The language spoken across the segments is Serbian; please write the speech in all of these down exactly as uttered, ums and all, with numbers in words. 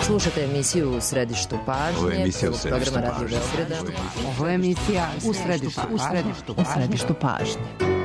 Slušate emisiju U središtu pažnje. Ovo je emisija U središtu programa Radio pažnje. Beograda. Ovo je emisija U središtu pažnje. U središtu pažnje.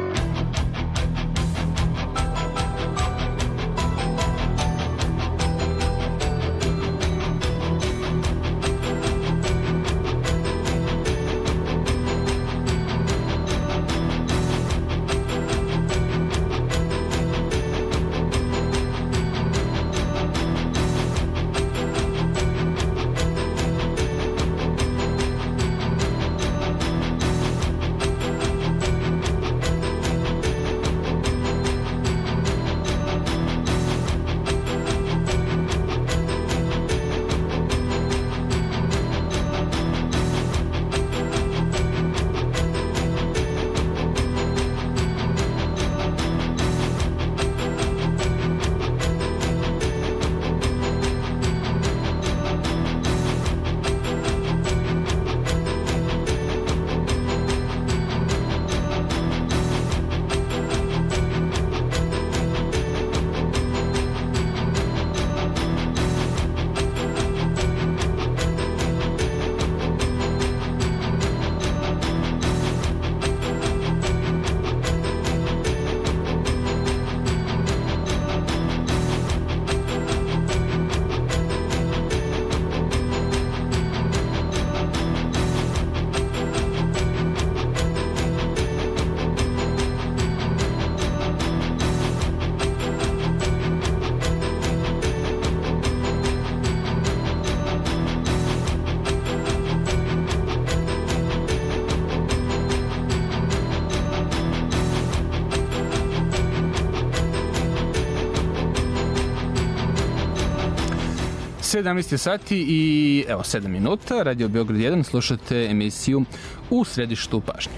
sedamnaest sati i evo sedam minuta, Radio Beograd jedan, slušate emisiju U središtu pažnje.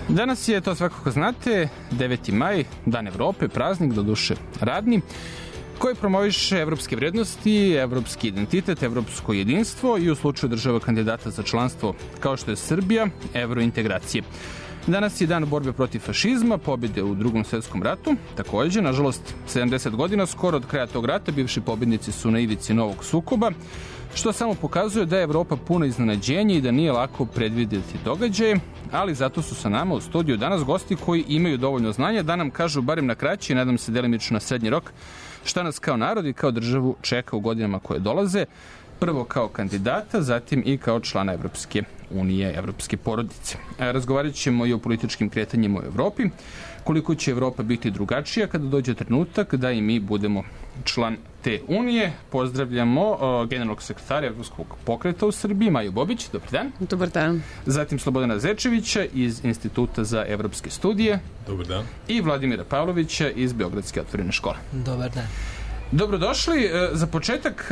Danas je, to svakako znate, deveti maj, Dan Evrope, praznik, doduše radni, koji promoviše evropske vrednosti, evropski identitet, evropsko jedinstvo i u slučaju država kandidata za članstvo, kao što je Srbija, evrointegracije. Danas je dan borbe protiv fašizma, pobjede u Drugom svjetskom ratu. Takođe, nažalost, sedamdeset godina skoro od kraja tog rata bivši pobjednici su na ivici novog sukoba, što samo pokazuje da je Evropa puna iznenađenja i da nije lako predvidjeti događaje, ali zato su sa nama u studiju danas gosti koji imaju dovoljno znanja da nam kažu, barem na kraći, nadam se delimično na srednji rok, šta nas kao narod i kao državu čeka u godinama koje dolaze, prvo kao kandidata, zatim i kao člana Evropske unije, evropske porodice. Razgovarat ćemo i o političkim kretanjima u Evropi, koliko će Evropa biti drugačija kada dođe trenutak da i mi budemo član te unije. Pozdravljamo uh, generalnog sekretara Evropskog pokreta u Srbiji, Maju Bobić. Dobar dan. Dobar dan. Zatim Slobodana Zečevića iz Instituta za evropske studije. Dobar dan. I Vladimira Pavlovića iz Beogradske otvorene škole. Dobar dan. Dobrodošli. Za početak,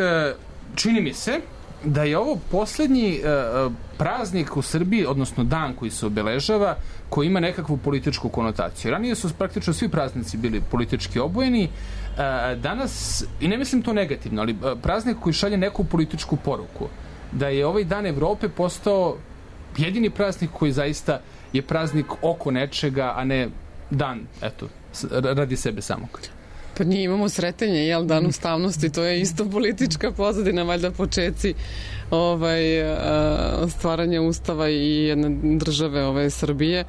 čini mi se da je ovo poslednji uh, praznik u Srbiji, odnosno dan koji se obeležava, koji ima nekakvu političku konotaciju. Ranije su praktično svi praznici bili politički obojeni. Uh, danas, i ne mislim to negativno, ali uh, praznik koji šalje neku političku poruku, da je ovaj Dan Evrope postao jedini praznik koji zaista je praznik oko nečega, a ne dan, eto, radi sebe samog. Pa nije, imamo sretenje, jel, Dan ustavnosti, to je isto politička pozadina, valjda počeci ovaj, stvaranja ustava i jedne države ove Srbije.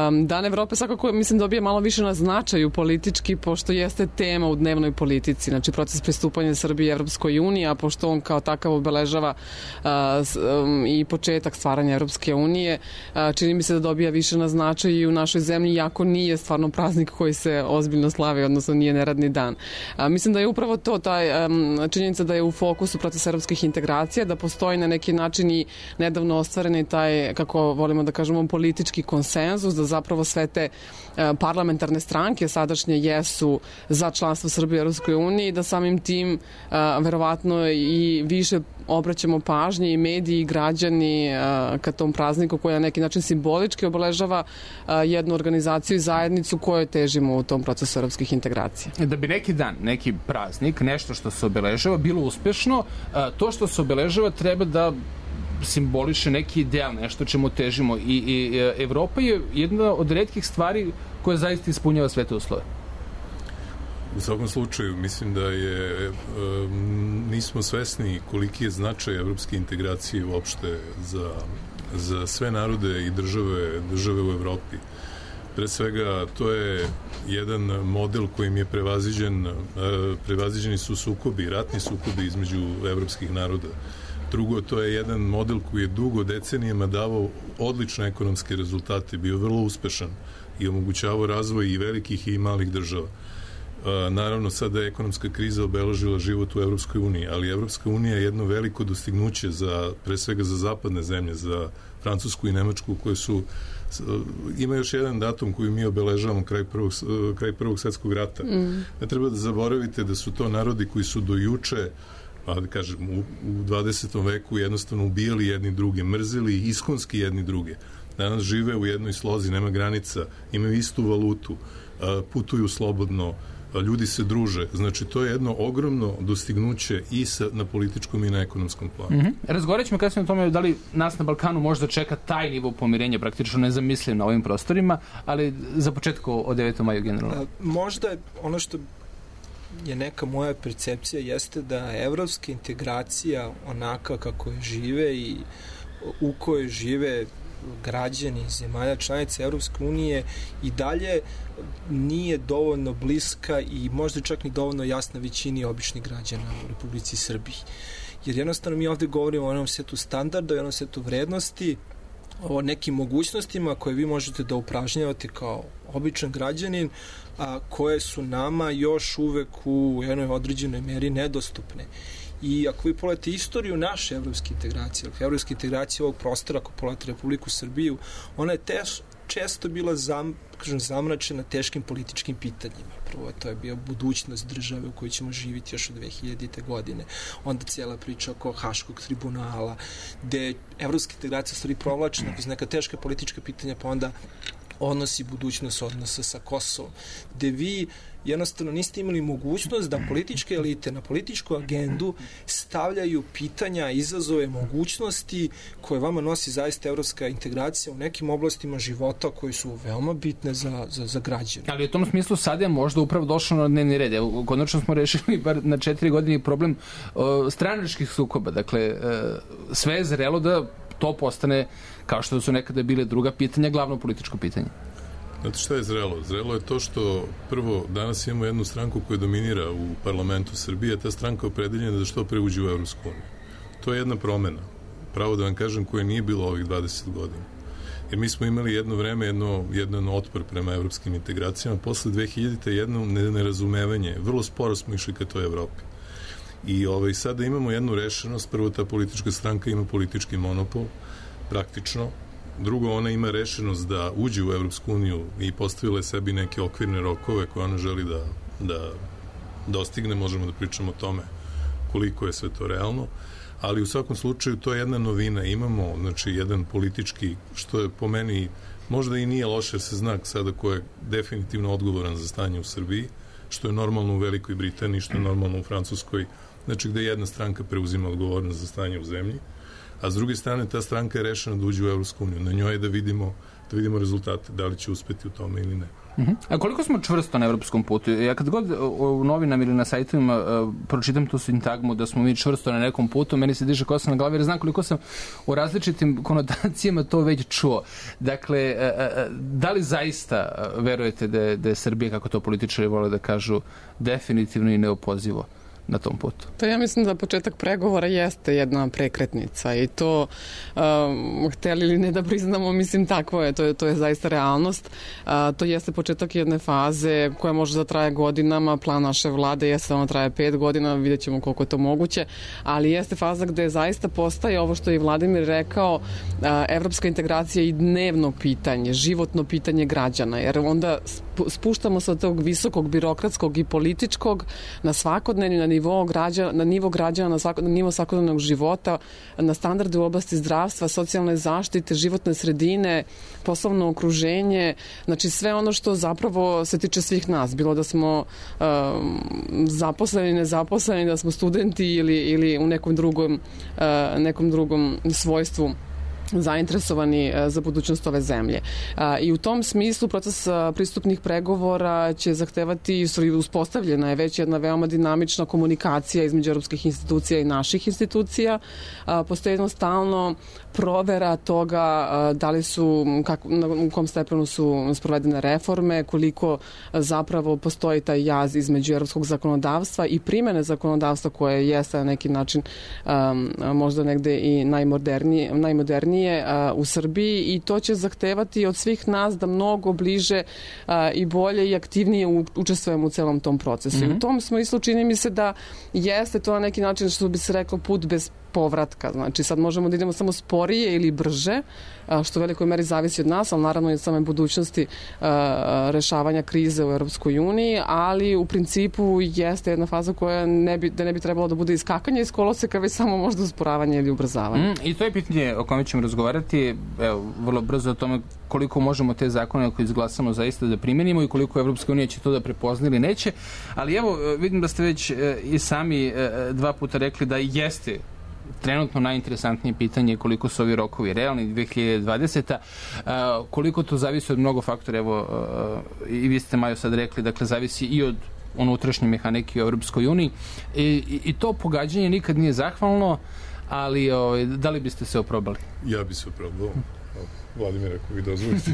Um, Dan Evrope svakako, mislim, dobije malo više na značaju politički, pošto jeste tema u dnevnoj politici, znači proces pristupanja Srbije Evropskoj uniji, a pošto on kao takav obeležava uh, um, i početak stvaranja Evropske unije, uh, čini mi se da dobija više na značaju i u našoj zemlji, iako nije stvarno praznik koji se ozbiljno slavi, odnosno nije neradni dan. Uh, mislim da je upravo to, taj, um, činjenica da je u fokusu proces evropskih integracija, da postoji na neki način i nedavno ostvareni taj, kako volimo da kažemo, politički konsenzus, da zapravo sve te parlamentarne stranke sadašnje jesu za članstvo Srbije u Europskoj uniji, da samim tim verovatno i više obraćamo pažnje i mediji i građani ka tom prazniku koji na neki način simbolički obeležava jednu organizaciju i zajednicu kojoj težimo u tom procesu evropskih integracija. Da bi neki dan, neki praznik, nešto što se obeležava bilo uspešno, to što se obeležava treba da simboliše neki ideal, nešto čemu težimo, i, i Evropa je jedna od retkih stvari koja zaista ispunjava sve te uslove. U svakom slučaju, mislim da je nismo svesni koliki je značaj evropske integracije uopšte za, za sve narode i države, države u Evropi. Pre svega, to je jedan model kojim je prevaziđen, prevaziđeni su sukobi, ratni sukobi između evropskih naroda. Drugo, to je jedan model koji je dugo decenijama davao odlične ekonomske rezultate, bio vrlo uspešan i omogućavao razvoj i velikih i malih država. Naravno, sada je ekonomska kriza obeležila život u Evropskoj uniji, ali Evropska unija je jedno veliko dostignuće za, pre svega za zapadne zemlje, za Francusku i Nemačku, koje su, ima još jedan datum koji mi obeležavamo kraj prvog, kraj prvog svetskog rata. Mm. Ne treba da zaboravite da su to narodi koji su do juče, pa da kažem, u, u dvadesetom veku jednostavno ubijali jedni druge, mrzili iskonski jedni druge. Danas žive u jednoj slozi, nema granica, imaju istu valutu, putuju slobodno, ljudi se druže. Znači, to je jedno ogromno dostignuće i sa, na političkom i na ekonomskom planu. Mm-hmm. Razgovarat ćemo kasnije o tome da li nas na Balkanu možda čeka taj nivo pomirenja, praktično nezamisliv na ovim prostorima, ali za početku o devetom maju generalno. Možda ono što je neka moja percepcija jeste da evropska integracija onaka kako je žive i u kojoj žive građani zemalja članica Evropske unije i dalje nije dovoljno bliska i možda čak ni dovoljno jasna većini običnih građana u Republici Srbiji. Jer jednostavno mi ovde govorimo o onom setu standarda, o onom setu vrednosti, o nekim mogućnostima koje vi možete da upražnjavate kao običan građanin, a koje su nama još uvek u jednoj određenoj meri nedostupne. I ako vi pogledate istoriju naše evropske integracije, evropske integracije ovog prostora, ako pogledate Republiku Srbiju, ona je teš, često bila zam, kažem, zamračena teškim političkim pitanjima. Prvo, to je bio budućnost države u kojoj ćemo živjeti još od dve hiljadite. godine. Onda cijela priča oko Haškog tribunala, gde evropska integracija stvari provlačena kroz neka teška politička pitanja, pa onda odnosi budućnost odnosa sa Kosovom, gde vi jednostavno niste imali mogućnost da političke elite na političku agendu stavljaju pitanja, izazove, mogućnosti koje vama nosi zaista evropska integracija u nekim oblastima života koji su veoma bitne za, za, za građane. Ali u tom smislu sad je možda upravo došlo na dnevni red. Evo, konačno smo rešili bar na četiri godine problem o, stranačkih sukoba. Dakle, e, sve je zrelo da to postane, kao što su nekada bile druga pitanja, glavno političko pitanje. Znate šta je zrelo? Zrelo je to što prvo danas imamo jednu stranku koja dominira u parlamentu Srbije, ta stranka opredeljena da što pre uđe u Evropsku uniju. To je jedna promena, pravo da vam kažem, koja nije bilo ovih dvadeset godina. Jer mi smo imali jedno vreme, jedno, jedan otpor prema evropskim integracijama, posle dve hiljadite. jedno nerazumevanje, vrlo sporo smo išli ka toj Evropi. I ovaj, sada imamo jednu rešenost, prvo ta politička stranka ima politički monopol, praktično. Drugo, ona ima rešenost da uđe u Evropsku uniju i postavile sebi neke okvirne rokove koje ona želi da, da dostigne. Možemo da pričamo o tome koliko je sve to realno, ali u svakom slučaju to je jedna novina. Imamo, znači, jedan politički, što je po meni možda i nije loše, jer se zna sada ko je definitivno odgovoran za stanje u Srbiji, što je normalno u Velikoj Britaniji, što je normalno u Francuskoj, znači gde jedna stranka preuzima odgovornost za stanje u zemlji, a s druge strane ta stranka je rešena da uđe u Evropsku uniju. Na njoj je da vidimo, da vidimo rezultate, da li će uspeti u tome ili ne. Uh-huh. A koliko smo čvrsto na evropskom putu? Ja kad god u novinama ili na sajtovima uh, pročitam tu sintagmu da smo mi čvrsto na nekom putu, meni se diže kosa na glavi, jer znam koliko sam u različitim konotacijama to već čuo. Dakle, uh, uh, da li zaista uh, verujete da je, da je Srbija, kako to političari vole da kažu, definitivno i neopozivo na tom putu? To ja mislim da početak pregovora jeste jedna prekretnica i to um, hteli ili ne da priznamo, mislim tako je, to je, to je zaista realnost. Uh, to jeste početak jedne faze koja može da traje godinama, plan naše vlade jeste da ona traje pet godina, vidjet ćemo koliko je to moguće, ali jeste faza gde zaista postaje ovo što je Vladimir rekao, uh, evropska integracija i dnevno pitanje, životno pitanje građana, jer onda spuštamo se od tog visokog birokratskog i političkog na svakodnevni, na nivo građana, na nivo građana, na, svako, na nivo svakodnevnog života, na standarde u oblasti zdravstva, socijalne zaštite, životne sredine, poslovno okruženje, znači sve ono što zapravo se tiče svih nas, bilo da smo um, zaposleni, nezaposleni, da smo studenti ili, ili u nekom drugom, uh, nekom drugom svojstvu zainteresovani za budućnost ove zemlje. I u tom smislu proces pristupnih pregovora će zahtevati, uspostavljena je već jedna veoma dinamična komunikacija između europskih institucija i naših institucija. Postoji jednostavno provera toga da li su, kako, u kom stepenu su sprovedene reforme, koliko zapravo postoji taj jaz između europskog zakonodavstva i primene zakonodavstva koje jeste na neki način um, možda negde i najmodernije, najmodernije uh, u Srbiji i to će zahtevati od svih nas da mnogo bliže uh, i bolje i aktivnije u, učestvujemo u celom tom procesu. Mm-hmm. U tom smislu čini mi se da jeste to na neki način, što bi se reklo, put bez povratka. Znači sad možemo da idemo samo sporije ili brže, što u velikoj meri zavisi od nas, ali naravno i od same budućnosti rešavanja krize u Europskoj uniji, ali u principu jeste jedna faza koja ne bi, da ne bi trebalo da bude iskakanje iz koloseka, već samo možda usporavanje ili ubrzavanje. Mm, I to je pitanje o kome ćemo razgovarati, evo, vrlo brzo o tome koliko možemo te zakone koje izglasamo zaista da primenimo i koliko Evropska unija će to da prepozna ili neće, ali evo, vidim da ste već i sami dva puta rekli da jeste trenutno najinteresantnije pitanje koliko su ovi rokovi realni dve hiljade dvadeseta. Uh, koliko to zavisi od mnogo faktora, evo uh, i vi ste, Majo, sad rekli, dakle zavisi i od unutrašnje mehanike u Europskoj uniji I, i, i to pogađanje nikad nije zahvalno, ali o, da li biste se oprobali? Ja bi se oprobao. Vladimir, ako vi dozvolite.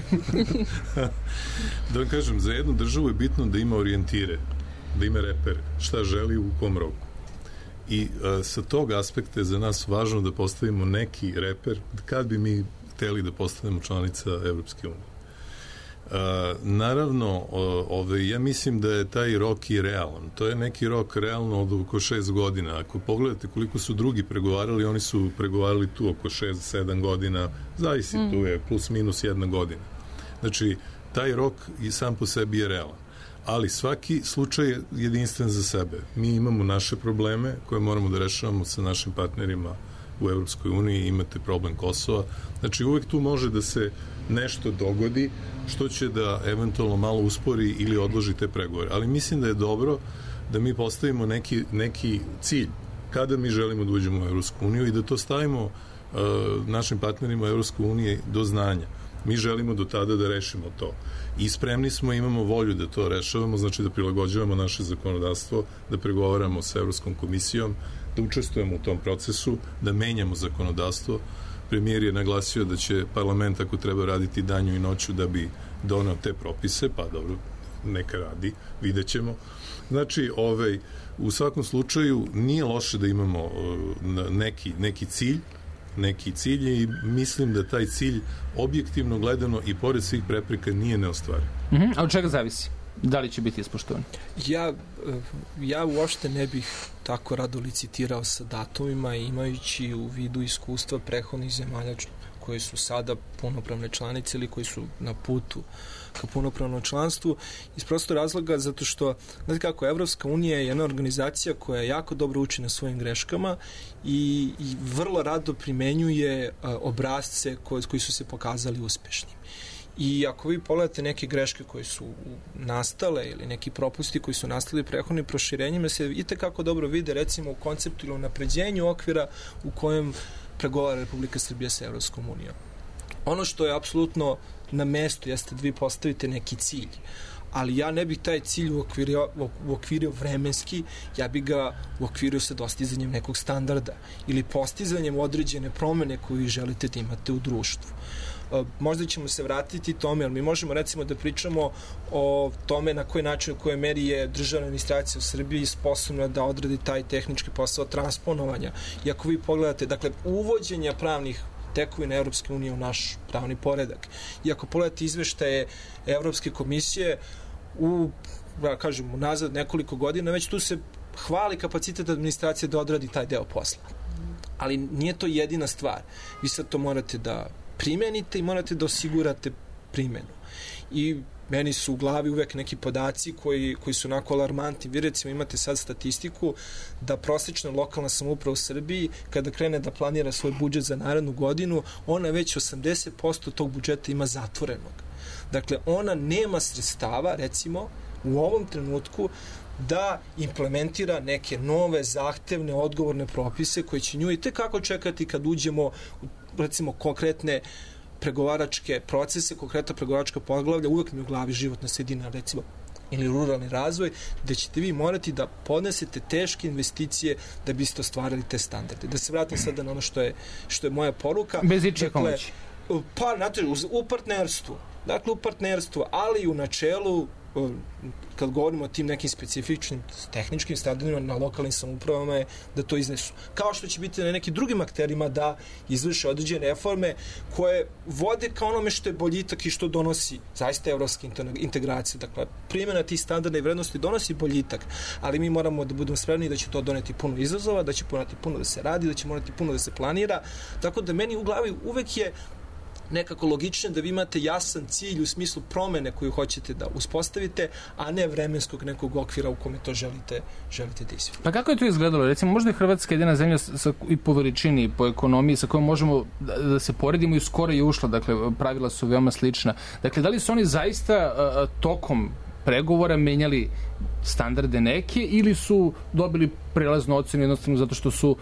Da vam kažem, za jednu državu je bitno da ima orijentire, da ima repere, šta želi u kom roku. I a, sa tog aspekta je za nas važno da postavimo neki reper kad bi mi hteli da postanemo članica Evropske unije. A, naravno, o, ove, ja mislim da je taj rok i realan. To je neki rok realno od oko šest godina. Ako pogledate koliko su drugi pregovarali, oni su pregovarali tu oko šest sedam godina, zavisi, mm. tu je plus minus jedna godina. Znači, taj rok i sam po sebi je realan. Ali svaki slučaj je jedinstven za sebe. Mi imamo naše probleme koje moramo da rešavamo sa našim partnerima u Evropskoj uniji, imate problem Kosova. Znači, uvek tu može da se nešto dogodi što će da eventualno malo uspori ili odloži te pregovore. Ali mislim da je dobro da mi postavimo neki, neki cilj kada mi želimo da uđemo u Evropsku uniju i da to stavimo uh, našim partnerima u Evropskoj uniji do znanja. Mi želimo do tada da rešimo to. I spremni smo, imamo volju da to rešavamo, znači da prilagođavamo naše zakonodavstvo, da pregovaramo sa Evropskom komisijom, da učestvujemo u tom procesu, da menjamo zakonodavstvo. Premijer je naglasio da će parlament, ako treba, raditi danju i noću da bi doneo te propise, pa dobro, neka radi, vidjet ćemo. Znači, ovaj, u svakom slučaju nije loše da imamo uh, neki, neki cilj, neki cilj i mislim da taj cilj objektivno gledano i pored svih prepreka nije neostvariv. Mm-hmm. A od čega zavisi? Da li će biti ispoštovan? Ja, ja uopšte ne bih tako rado licitirao sa datumima, imajući u vidu iskustva prethodnih zemalja koji su sada punopravne članice ili koji su na putu ka punopravnom članstvu, iz prostog razloga zato što, znate kako, Evropska unija je jedna organizacija koja jako dobro uči na svojim greškama i, i vrlo rado primenjuje a, obrazce koji, koji su se pokazali uspešnim. I ako vi pogledate neke greške koje su nastale ili neki propusti koji su nastali prethodnim proširenjima, se itekako dobro vide recimo u konceptu ili u napređenju okvira u kojem pregovara Republika Srbija sa Evropskom unijom. Ono što je apsolutno na mestu jeste da vi postavite neki cilj, ali ja ne bih taj cilj uokvirio, uokvirio vremenski, ja bih ga uokvirio sa dostizanjem nekog standarda ili postizanjem određene promene koju želite da imate u društvu. Možda ćemo se vratiti tome, ali mi možemo recimo da pričamo o tome na koji način, u kojoj meri je državna administracija u Srbiji sposobna da odradi taj tehnički posao transponovanja. I ako vi pogledate, dakle, uvođenja pravnih tekovina Evropske unije u naš pravni poredak. I ako pogledate izveštaje Evropske komisije u, da kažem, nazad nekoliko godina, već tu se hvali kapacitet administracije da odradi taj deo posla. Ali nije to jedina stvar. Vi sad to morate da primenite i morate da osigurate primenu. I meni su u glavi uvek neki podaci koji, koji su onako alarmantni. Vi recimo imate sad statistiku da prosječna lokalna samouprava u Srbiji kada krene da planira svoj budžet za narednu godinu, ona već osamdeset posto tog budžeta ima zatvorenog. Dakle, ona nema sredstava, recimo, u ovom trenutku da implementira neke nove, zahtevne, odgovorne propise koje će nju i tekako čekati kad uđemo recimo konkretne pregovaračke procese, konkretna pregovaračka poglavlja, uvek mi u glavi životna sredina, recimo, ili ruralni razvoj, gde ćete vi morati da podnesete teške investicije da biste ostvarili te standarde. Da se vratim sada na ono što je, što je moja poruka. Bez ičije pomoći. Pa, znate, u partnerstvu. Dakle, u partnerstvu, ali i u načelu, kad govorimo o tim nekim specifičnim tehničkim standardima na lokalnim samoupravama, je da to iznesu. Kao što će biti na nekim drugim akterima da izvrše određene reforme koje vode ka onome što je boljitak i što donosi zaista evropska integracija. Dakle, primjena tih standarda i vrednosti donosi boljitak, ali mi moramo da budemo spremni da će to doneti puno izazova, da će morati puno da se radi, da će morati puno da se planira. Tako da meni u glavi uvek je nekako logično da vi imate jasan cilj u smislu promene koju hoćete da uspostavite, a ne vremenskog nekog okvira u kome to želite, želite da izvijete. Pa kako je to izgledalo? Recimo, možda je Hrvatska jedina zemlja sa, i po veličini, i po ekonomiji, sa kojom možemo da, da se poredimo i skoro je ušla, dakle, pravila su veoma slična. Dakle, da li su oni zaista a, tokom pregovora menjali standarde neke ili su dobili prelaznu ocenu jednostavno zato što su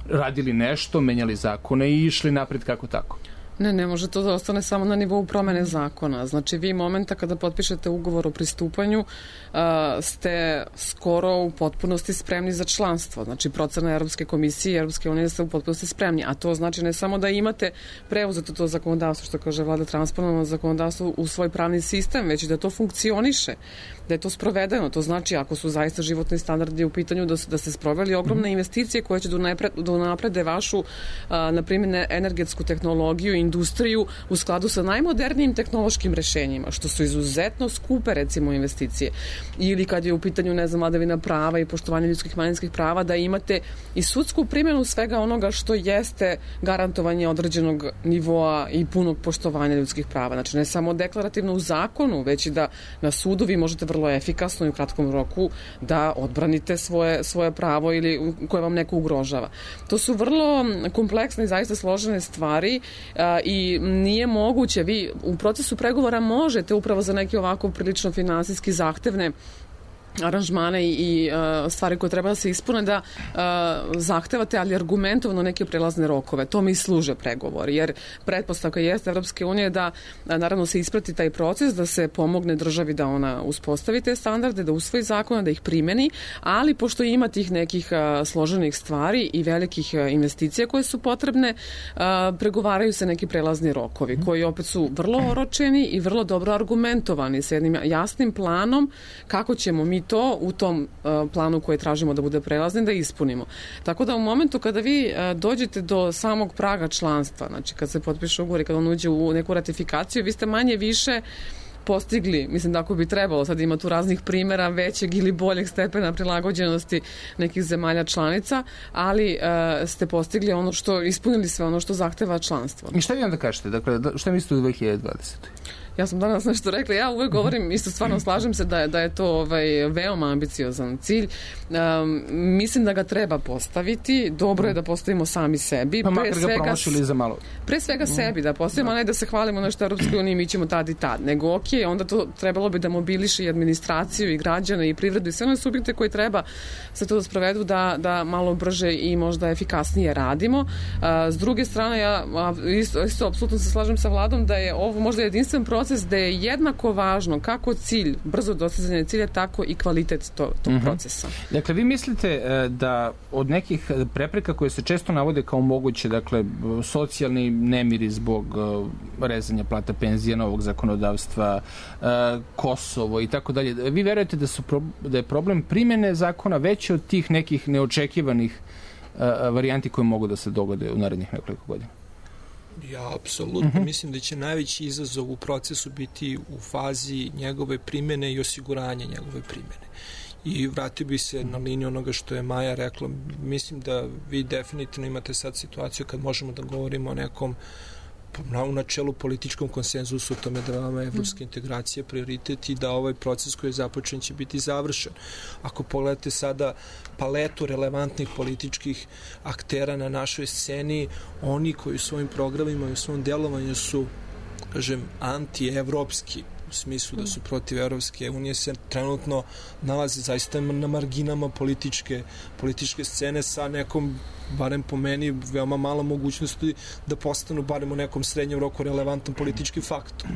radili nešto, menjali zakone i išli napred kako tako? Ne, ne može to da ostane samo na nivou promene zakona. Znači, vi momenta kada potpišete ugovor o pristupanju uh, ste skoro u potpunosti spremni za članstvo. Znači, procena Europske komisije i Europske unije ste u potpunosti spremni. A to znači ne samo da imate preuzeto to zakonodavstvo, što kaže vlada, transponovano zakonodavstvo u svoj pravni sistem, već da to funkcioniše, da je to sprovedeno. To znači, ako su zaista životni standardi u pitanju, da, da se sproveli ogromne investicije koje će da unaprede vašu, a, na primjer, energetsku tehnologiju i industriju u skladu sa najmodernijim tehnološkim rešenjima, što su izuzetno skupe, recimo, investicije. Ili kad je u pitanju, ne znam, vladavina prava i poštovanje ljudskih i manjinskih prava, da imate i sudsku primjenu svega onoga što jeste garantovanje određenog nivoa i punog poštovanja ljudskih prava. Znači, ne samo deklarativno u zakonu, već i da na sudu vi možete vrlo efikasno i u kratkom roku da odbranite svoje, svoje pravo ili koje vam neko ugrožava. To su vrlo kompleksne i zaista složene stvari a, i nije moguće, vi u procesu pregovora možete upravo za neke ovako prilično finansijski zahtevne aranžmane i, i uh, stvari koje treba da se ispune, da uh, zahtevate, ali argumentovano neke prelazne rokove. To mi služe pregovori, jer pretpostavka jeste Evropske unije da a, naravno se isprati taj proces, da se pomogne državi da ona uspostavi te standarde, da usvoji zakona, da ih primeni, ali pošto ima tih nekih uh, složenih stvari i velikih uh, investicija koje su potrebne, uh, pregovaraju se neki prelazni rokovi, koji opet su vrlo oročeni i vrlo dobro argumentovani sa jednim jasnim planom kako ćemo mi to u tom uh, planu koje tražimo da bude prelaznim da ispunimo. Tako da u momentu kada vi uh, dođete do samog praga članstva, znači kad se potpiše ugovor i kada on uđe u neku ratifikaciju, vi ste manje više postigli, mislim da ako bi trebalo, sad ima tu raznih primjera većeg ili boljeg stepena prilagođenosti nekih zemalja članica, ali uh, ste postigli ono što, ispunili sve ono što zahteva članstvo. I šta vi onda kažete? Dakle, šta mislite u dve hiljade dvadesetoj? Ja sam danas nešto rekla, ja uvek govorim, isto stvarno slažem se da je, da je to ovaj, veoma ambiciozan cilj. Um, mislim da ga treba postaviti, dobro je da postavimo sami sebi. Pa makar ga promašili za malo. Pre svega sebi da postavimo, a ne da se hvalimo nešto Europskoj uniji, mi ćemo tad i tad. Nego, ok, onda to trebalo bi da mobiliše i administraciju i građane i privredu i sve one subjekte koji treba se to da sprovedu da, da malo brže i možda efikasnije radimo. Uh, s druge strane, ja isto, isto apsolutno se slažem sa vladom da je ovo možda jedinstven proces da je jednako važno kako cilj, brzo dostizanje cilja, tako i kvalitet to, tog mm-hmm. procesa. Dakle, vi mislite da od nekih prepreka koje se često navode kao moguće, dakle, socijalni nemiri zbog rezanja plata penzija, novog zakonodavstva, Kosovo i tako dalje, vi verujete da, su, da je problem primjene zakona veći od tih nekih neočekivanih varijanti koje mogu da se dogode u narednih nekoliko godina? Ja, apsolutno. Uh-huh. Mislim da će najveći izazov u procesu biti u fazi njegove primjene i osiguranja njegove primjene. I vratio bi se na liniju onoga što je Maja rekla. Mislim da vi definitivno imate sad situaciju kad možemo da govorimo o nekom u načelu političkom konsenzusu o tome da vama evropska integracija prioritet i da ovaj proces koji je započen će biti završen. Ako pogledate sada paletu relevantnih političkih aktera na našoj sceni, oni koji u svojim programima i u svom delovanju su, kažem, anti-evropski, u smislu da su protiv Evropske unije, se trenutno nalaze zaista na marginama političke, političke scene sa nekom, barem po meni, veoma malo mogućnosti da postanu barem u nekom srednjem roku relevantan politički faktor.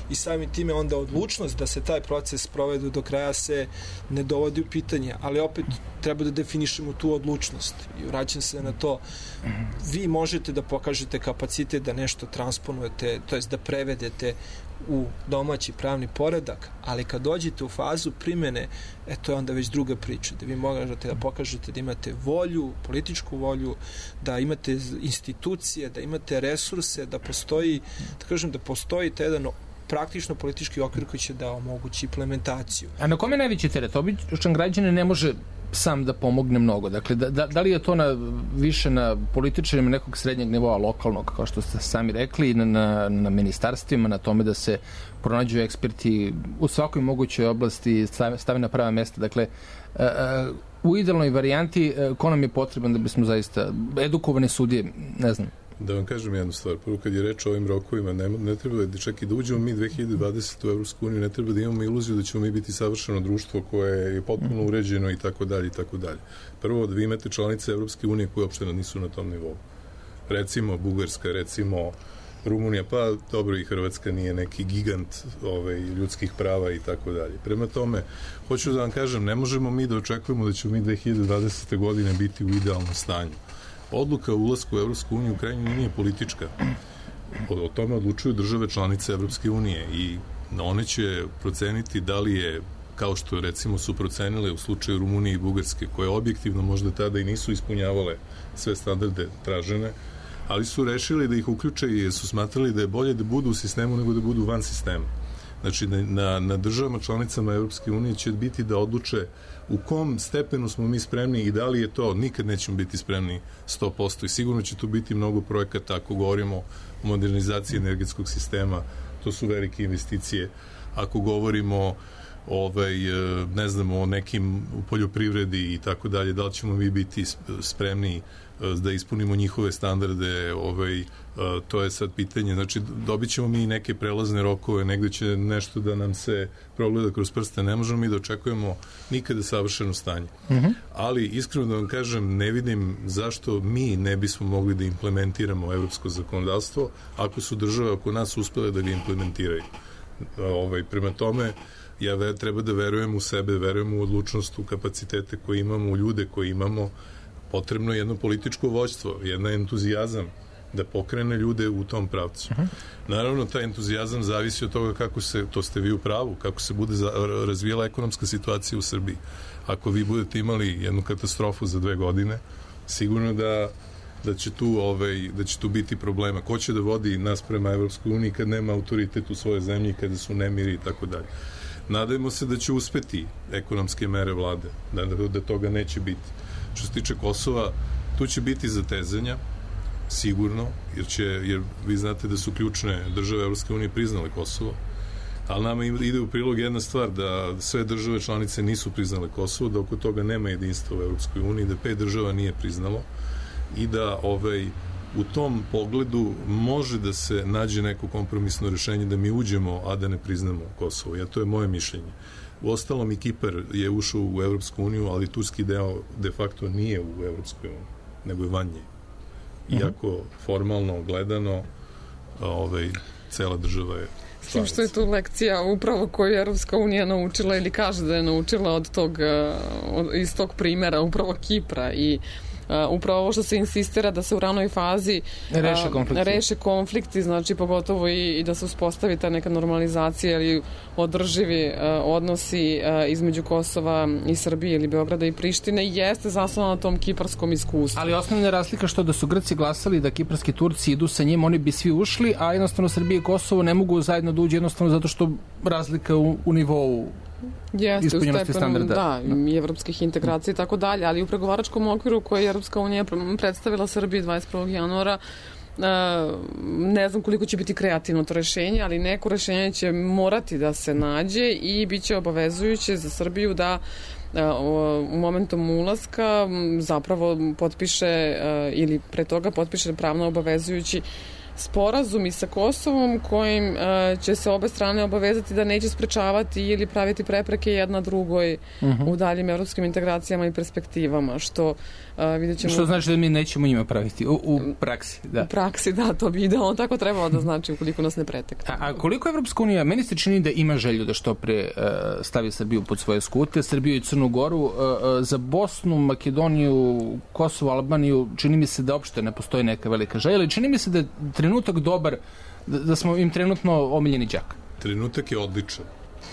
I samim time onda odlučnost da se taj proces provedu do kraja se ne dovodi u pitanje, ali opet treba da definišemo tu odlučnost. I vraćam se na to, vi možete da pokažete kapacitet da nešto transponujete, to jest da prevedete u domaći pravni poredak, ali kad dođete u fazu primene, e, to je onda već druga priča, da vi možete da pokažete da imate volju, političku volju, da imate institucije, da imate resurse, da postoji, da kažem, da postoji taj jedan praktično politički okvir koji će da omogući implementaciju. A na kome je najveći teret? Običan građanin ne može sam da pomogne mnogo. Dakle, da, da, da li je to na, više na političarima nekog srednjeg nivoa, lokalnog, kao što ste sami rekli, na, na, na ministarstvima, na tome da se pronađu eksperti u svakoj mogućoj oblasti, stave na prava mesta. Dakle, a, a, u idealnoj varijanti, a, ko nam je potreban da bismo zaista edukovane sudije, ne znam. Da vam kažem jednu stvar. Prvo, kad je reč o ovim rokovima, ne, ne treba da čak i da uđemo mi dve hiljade dvadesete u Evropsku uniju, ne treba da imamo iluziju da ćemo mi biti savršeno društvo koje je potpuno uređeno i tako dalje i tako dalje. Prvo, da vi imate članice Evropske unije koje uopšte nisu na tom nivou. Recimo Bugarska, recimo Rumunija, pa dobro i Hrvatska nije neki gigant ovaj, ljudskih prava i tako dalje. Prema tome, hoću da vam kažem, ne možemo mi da očekujemo da ćemo mi dve hiljade dvadesete godine biti u idealnom stanju. Odluka o ulasku u Evropsku uniju u krajnjoj liniji je politička. O, o tome odlučuju države članice Evropske unije i one će proceniti da li je, kao što recimo su procenile u slučaju Rumunije i Bugarske, koje objektivno možda tada i nisu ispunjavale sve standarde tražene, ali su rešili da ih uključe i su smatrali da je bolje da budu u sistemu nego da budu van sistema. Znači, na, na državama članicama Evropske unije će biti da odluče u kom stepenu smo mi spremni i da li je to, nikad nećemo biti spremni sto posto i sigurno će tu biti mnogo projekata ako govorimo o modernizaciji energetskog sistema, to su velike investicije. Ako govorimo ovaj, ne znamo, o nekim u poljoprivredi i tako dalje, da li ćemo mi biti spremni da ispunimo njihove standarde, ovaj, to je sad pitanje. Znači, dobit ćemo mi neke prelazne rokove, negde će nešto da nam se progleda kroz prste, ne možemo mi da očekujemo nikada savršeno stanje. Mm-hmm. Ali, iskreno da vam kažem, ne vidim zašto mi ne bismo mogli da implementiramo evropsko zakonodavstvo ako su države oko nas uspele da ga implementiraju. Ovaj, prema tome, ja ve, treba da verujem u sebe, verujem u odlučnost, u kapacitete koje imamo, u ljude koje imamo. Potrebno je jedno političko vođstvo, jedan entuzijazam da pokrene ljude u tom pravcu. Uh-huh. Naravno, taj entuzijazam zavisi od toga kako se, to ste vi u pravu, kako se bude za, razvijela ekonomska situacija u Srbiji. Ako vi budete imali jednu katastrofu za dve godine, sigurno da, da, će, tu, ovaj, da će tu biti problema. Ko će da vodi nas prema Evropskoj uniji kad nema autoritet u svojoj zemlji, kada su nemiri i tako dalje. Nadajmo se da će uspeti ekonomske mere vlade, da, da toga neće biti. Što se tiče Kosova, tu će biti zatezanja, sigurno, jer, će, jer vi znate da su ključne države Evropske unije priznale Kosovo, ali nama ide u prilog jedna stvar, da sve države članice nisu priznale Kosovo, da oko toga nema jedinstva u Evropskoj uniji, da pet država nije priznalo i da ovaj, u tom pogledu može da se nađe neko kompromisno rešenje da mi uđemo, a da ne priznamo Kosovo. Ja, to je moje mišljenje. U ostalom i Kipar je ušao u Evropsku uniju, ali turski deo de facto nije u Evropskoj uniji, nego je van nje. Iako formalno gledano ovaj, cela država je s tim što je tu lekcija upravo koju je Evropska unija naučila ili kaže da je naučila od tog, od, iz tog primjera upravo Kipra i Uh, upravo ovo što se insistira da se u ranoj fazi uh, reše, konflikti. reše konflikti, znači pogotovo i, i da se uspostavi ta neka normalizacija ili održivi uh, odnosi uh, između Kosova i Srbije ili Beograda i Prištine, jeste zasnovano na tom kiparskom iskustvu. Ali osnovna razlika što da su Grci glasali da kiparski Turci idu sa njim, oni bi svi ušli, a jednostavno Srbije i Kosovo ne mogu zajedno da uđe jednostavno zato što razlika u, u nivou jeste, u stepenu, da, i evropskih integracija i tako dalje, ali u pregovaračkom okviru koje je Evropska unija predstavila Srbiji dvadeset prvog januara, ne znam koliko će biti kreativno to rešenje, ali neko rešenje će morati da se nađe i bit će obavezujuće za Srbiju da u momentom ulaska zapravo potpiše ili pre toga potpiše pravno obavezujući sporazumi sa Kosovom kojim uh, će se obe strane obavezati da neće sprečavati ili praviti prepreke jedna drugoj uh-huh. u daljim evropskim integracijama i perspektivama, što uh, vidjet ćemo... Što znači da mi nećemo njima praviti u, u praksi, da. U praksi, da, to bi idealno tako trebalo da znači ukoliko nas ne pretekne. A, a koliko Evropska unija, meni se čini da ima želju da što pre uh, stavi Srbiju pod svoje skute, Srbiju i Crnu Goru, uh, uh, za Bosnu, Makedoniju, Kosovo, Albaniju, čini mi se da uopšte ne postoji neka velika želja, ali čini mi se da je trenutak dobar, da, da smo im trenutno omiljeni đak. Trenutak je odličan.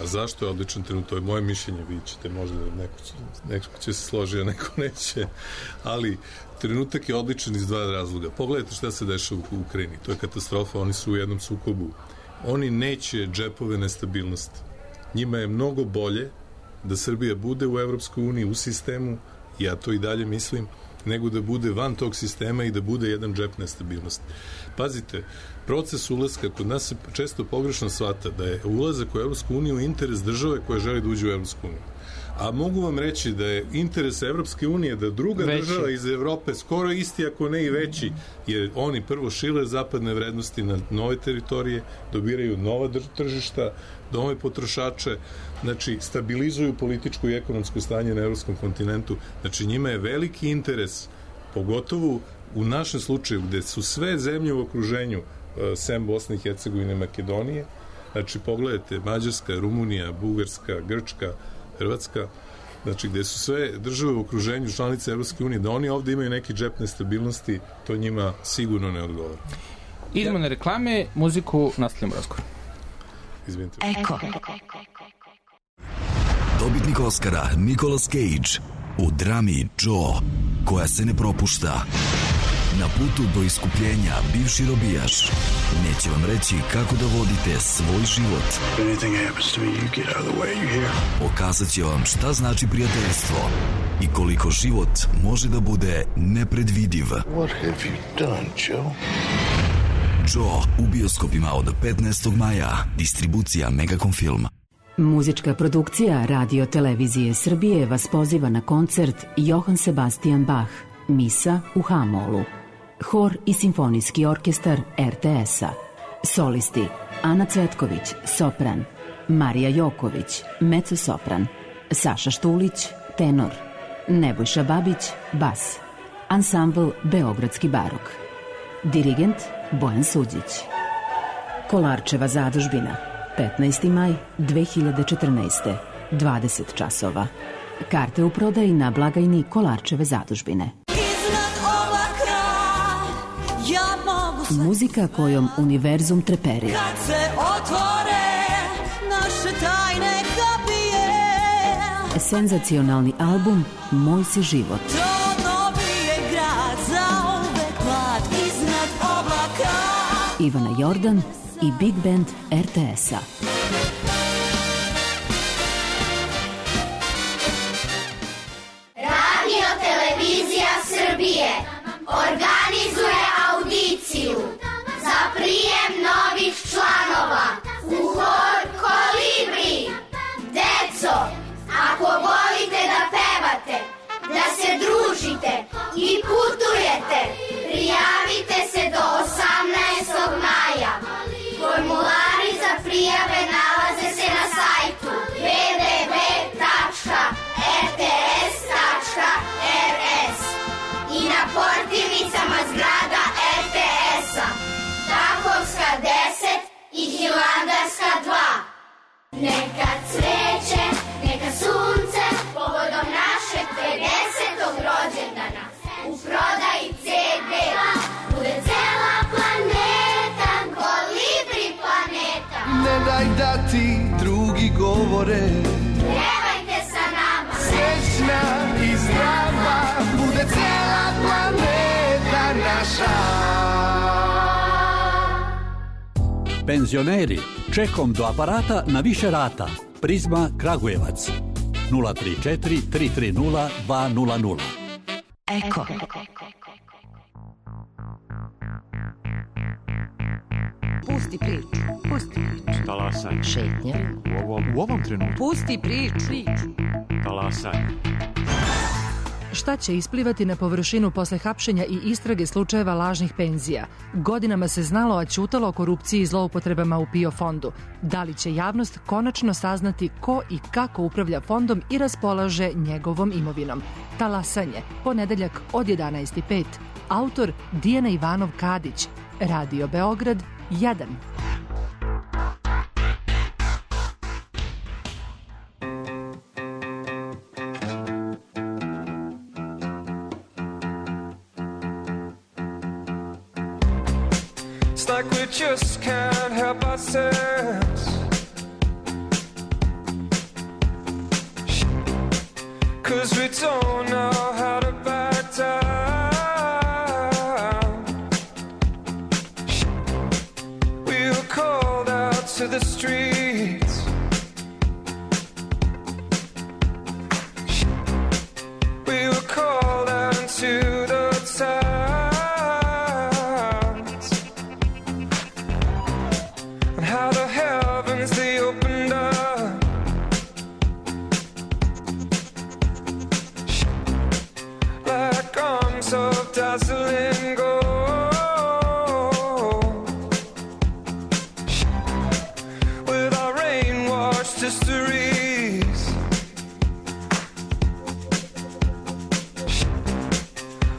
A zašto je odličan trenutak? To je moje mišljenje, vi ćete možda, neko će, neko će se složiti, a neko neće. Ali trenutak je odličan iz dva razloga. Pogledajte šta se dešava u Ukrajini. To je katastrofa, oni su u jednom sukobu. Oni neće džepove nestabilnosti. Njima je mnogo bolje da Srbija bude u Evropskoj uniji, u sistemu, ja to i dalje mislim, nego da bude van tog sistema i da bude jedan džep nestabilnosti. Pazite, proces ulaska kod nas se često pogrešno shvata da je ulazak u Evropsku uniju interes države koja želi da uđe u Evropsku uniju. A mogu vam reći da je interes Evropske unije da druga veći. Država iz Evrope skoro isti, ako ne i veći, jer oni prvo šile zapadne vrednosti na nove teritorije, dobiraju nova tržišta, nove potrošače, znači stabilizuju političko i ekonomsko stanje na evropskom kontinentu. Znači njima je veliki interes, pogotovo u našem slučaju gde su sve zemlje u okruženju, sem Bosne i Hercegovine i Makedonije, znači pogledajte Mađarska, Rumunija, Bugarska, Grčka, Hrvatska, znači gde su sve države u okruženju članice Evropske unije, da oni ovde imaju neki džep nestabilnosti, to njima sigurno ne odgovara. Idemo na reklame, muziku, nastavljamo razgovor. Izvinite. Eko. Dobitnik Oscara Nicolas Cage u drami Joe, koja se ne propušta. Na putu do iskupljenja bivši robijaš neće vam reći kako da vodite svoj život. Pokazat će vam šta znači prijateljstvo i koliko život može da bude nepredvidiv. What have you done, Joe? Joe u bioskopima od petnaestog maja. Distribucija Megacom Film. Muzička produkcija Radio Televizije Srbije vas poziva na koncert Johann Sebastian Bach, Misa u H-molu. Hor i simfonijski orkestar er te es-a. Solisti Ana Cvetković, sopran, Marija Joković, mezzo-sopran, Saša Štulić, tenor, Nebojša Babić, bas. Ansambl Beogradski barok. Dirigent Bojan Suđić. Kolarčeva zadužbina, petnaesti maj dve hiljade četrnaeste, dvadeset časova. Karte u prodaji na blagajni Kolarčeve zadužbine. Muzika kojom univerzum treperi. Kad se otvore naše tajne kapije. Senzacionalni album Moj si život. Trodno je grad zauvek mlad iznad oblaka. Ivana Jordan i Big Band er te es-a. Radio Televizija Srbije organizuje audiciju za prijem novih članova u hor Kolibri. Deco, ako volite da pevate, da se družite i putujete, prijavite se do osamnaestog maja. Formulari za prijave nalaze se na sajtu w w w tačka r t s tačka r s i na portirnicama zgrada er te es-a, Takovska deset i Hilandarska dva. Neka cveće, neka sunce, povodom našeg pedesetog rođendana, u prodaji ce de, bude cela planeta, Kolibri planeta. Ne daj da ti drugi govore, Pevajte sa nama, srećna i zdrava, bude cela planeta naša. Penzioneri, čekom do aparata na više rata. Prizma Kragujevac. nula tri četiri tri tri nula dva nula nula. Eko. Pusti priču. Pusti priču. Talasaj. Šetnja. U ovom, u ovom trenutku. Pusti priču. Talasaj. Šta će isplivati na površinu posle hapšenja i istrage slučajeva lažnih penzija? Godinama se znalo, a ćutalo o korupciji i zloupotrebama u PIO fondu. Da li će javnost konačno saznati ko i kako upravlja fondom i raspolaže njegovom imovinom? Talasanje, ponedeljak od jedanaest i pet. Autor Dijana Ivanov Kadić. Radio Beograd jedan. It's like we just can't help ourselves. 'Cause we don't know how to back down. We were called out to the streets. We were called out into the town. They opened up, like arms of dazzling gold, with our rain-washed histories.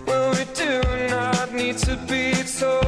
Well, we do not need to be told.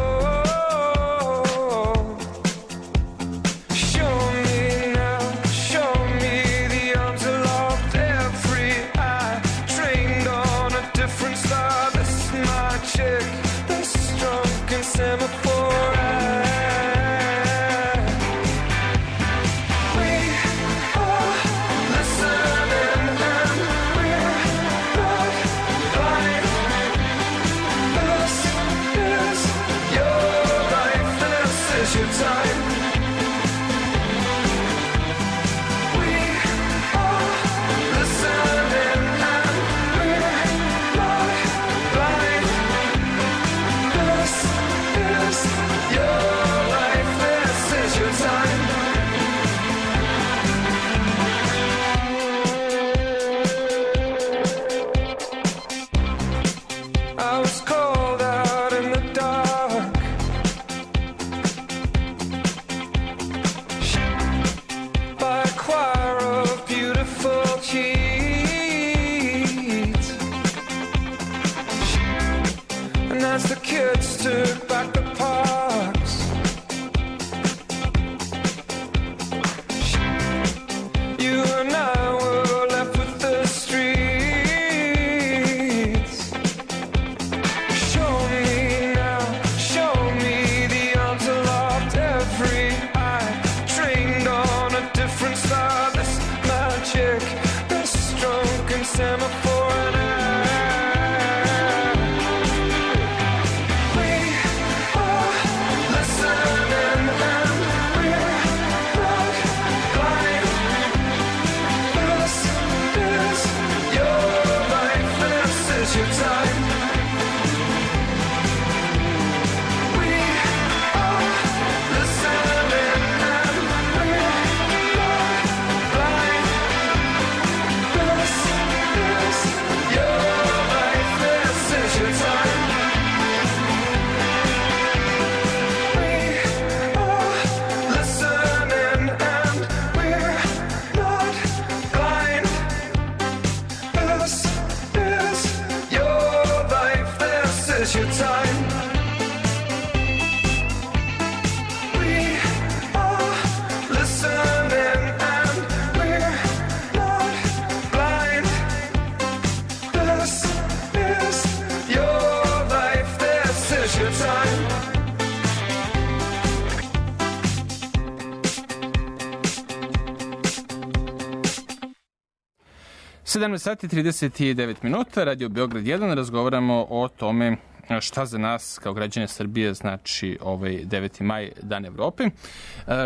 sedamnaest sati trideset devet minuta, Radio Beograd jedan, razgovaramo o tome šta za nas kao građane Srbije znači ovaj deveti maj, Dan Evrope,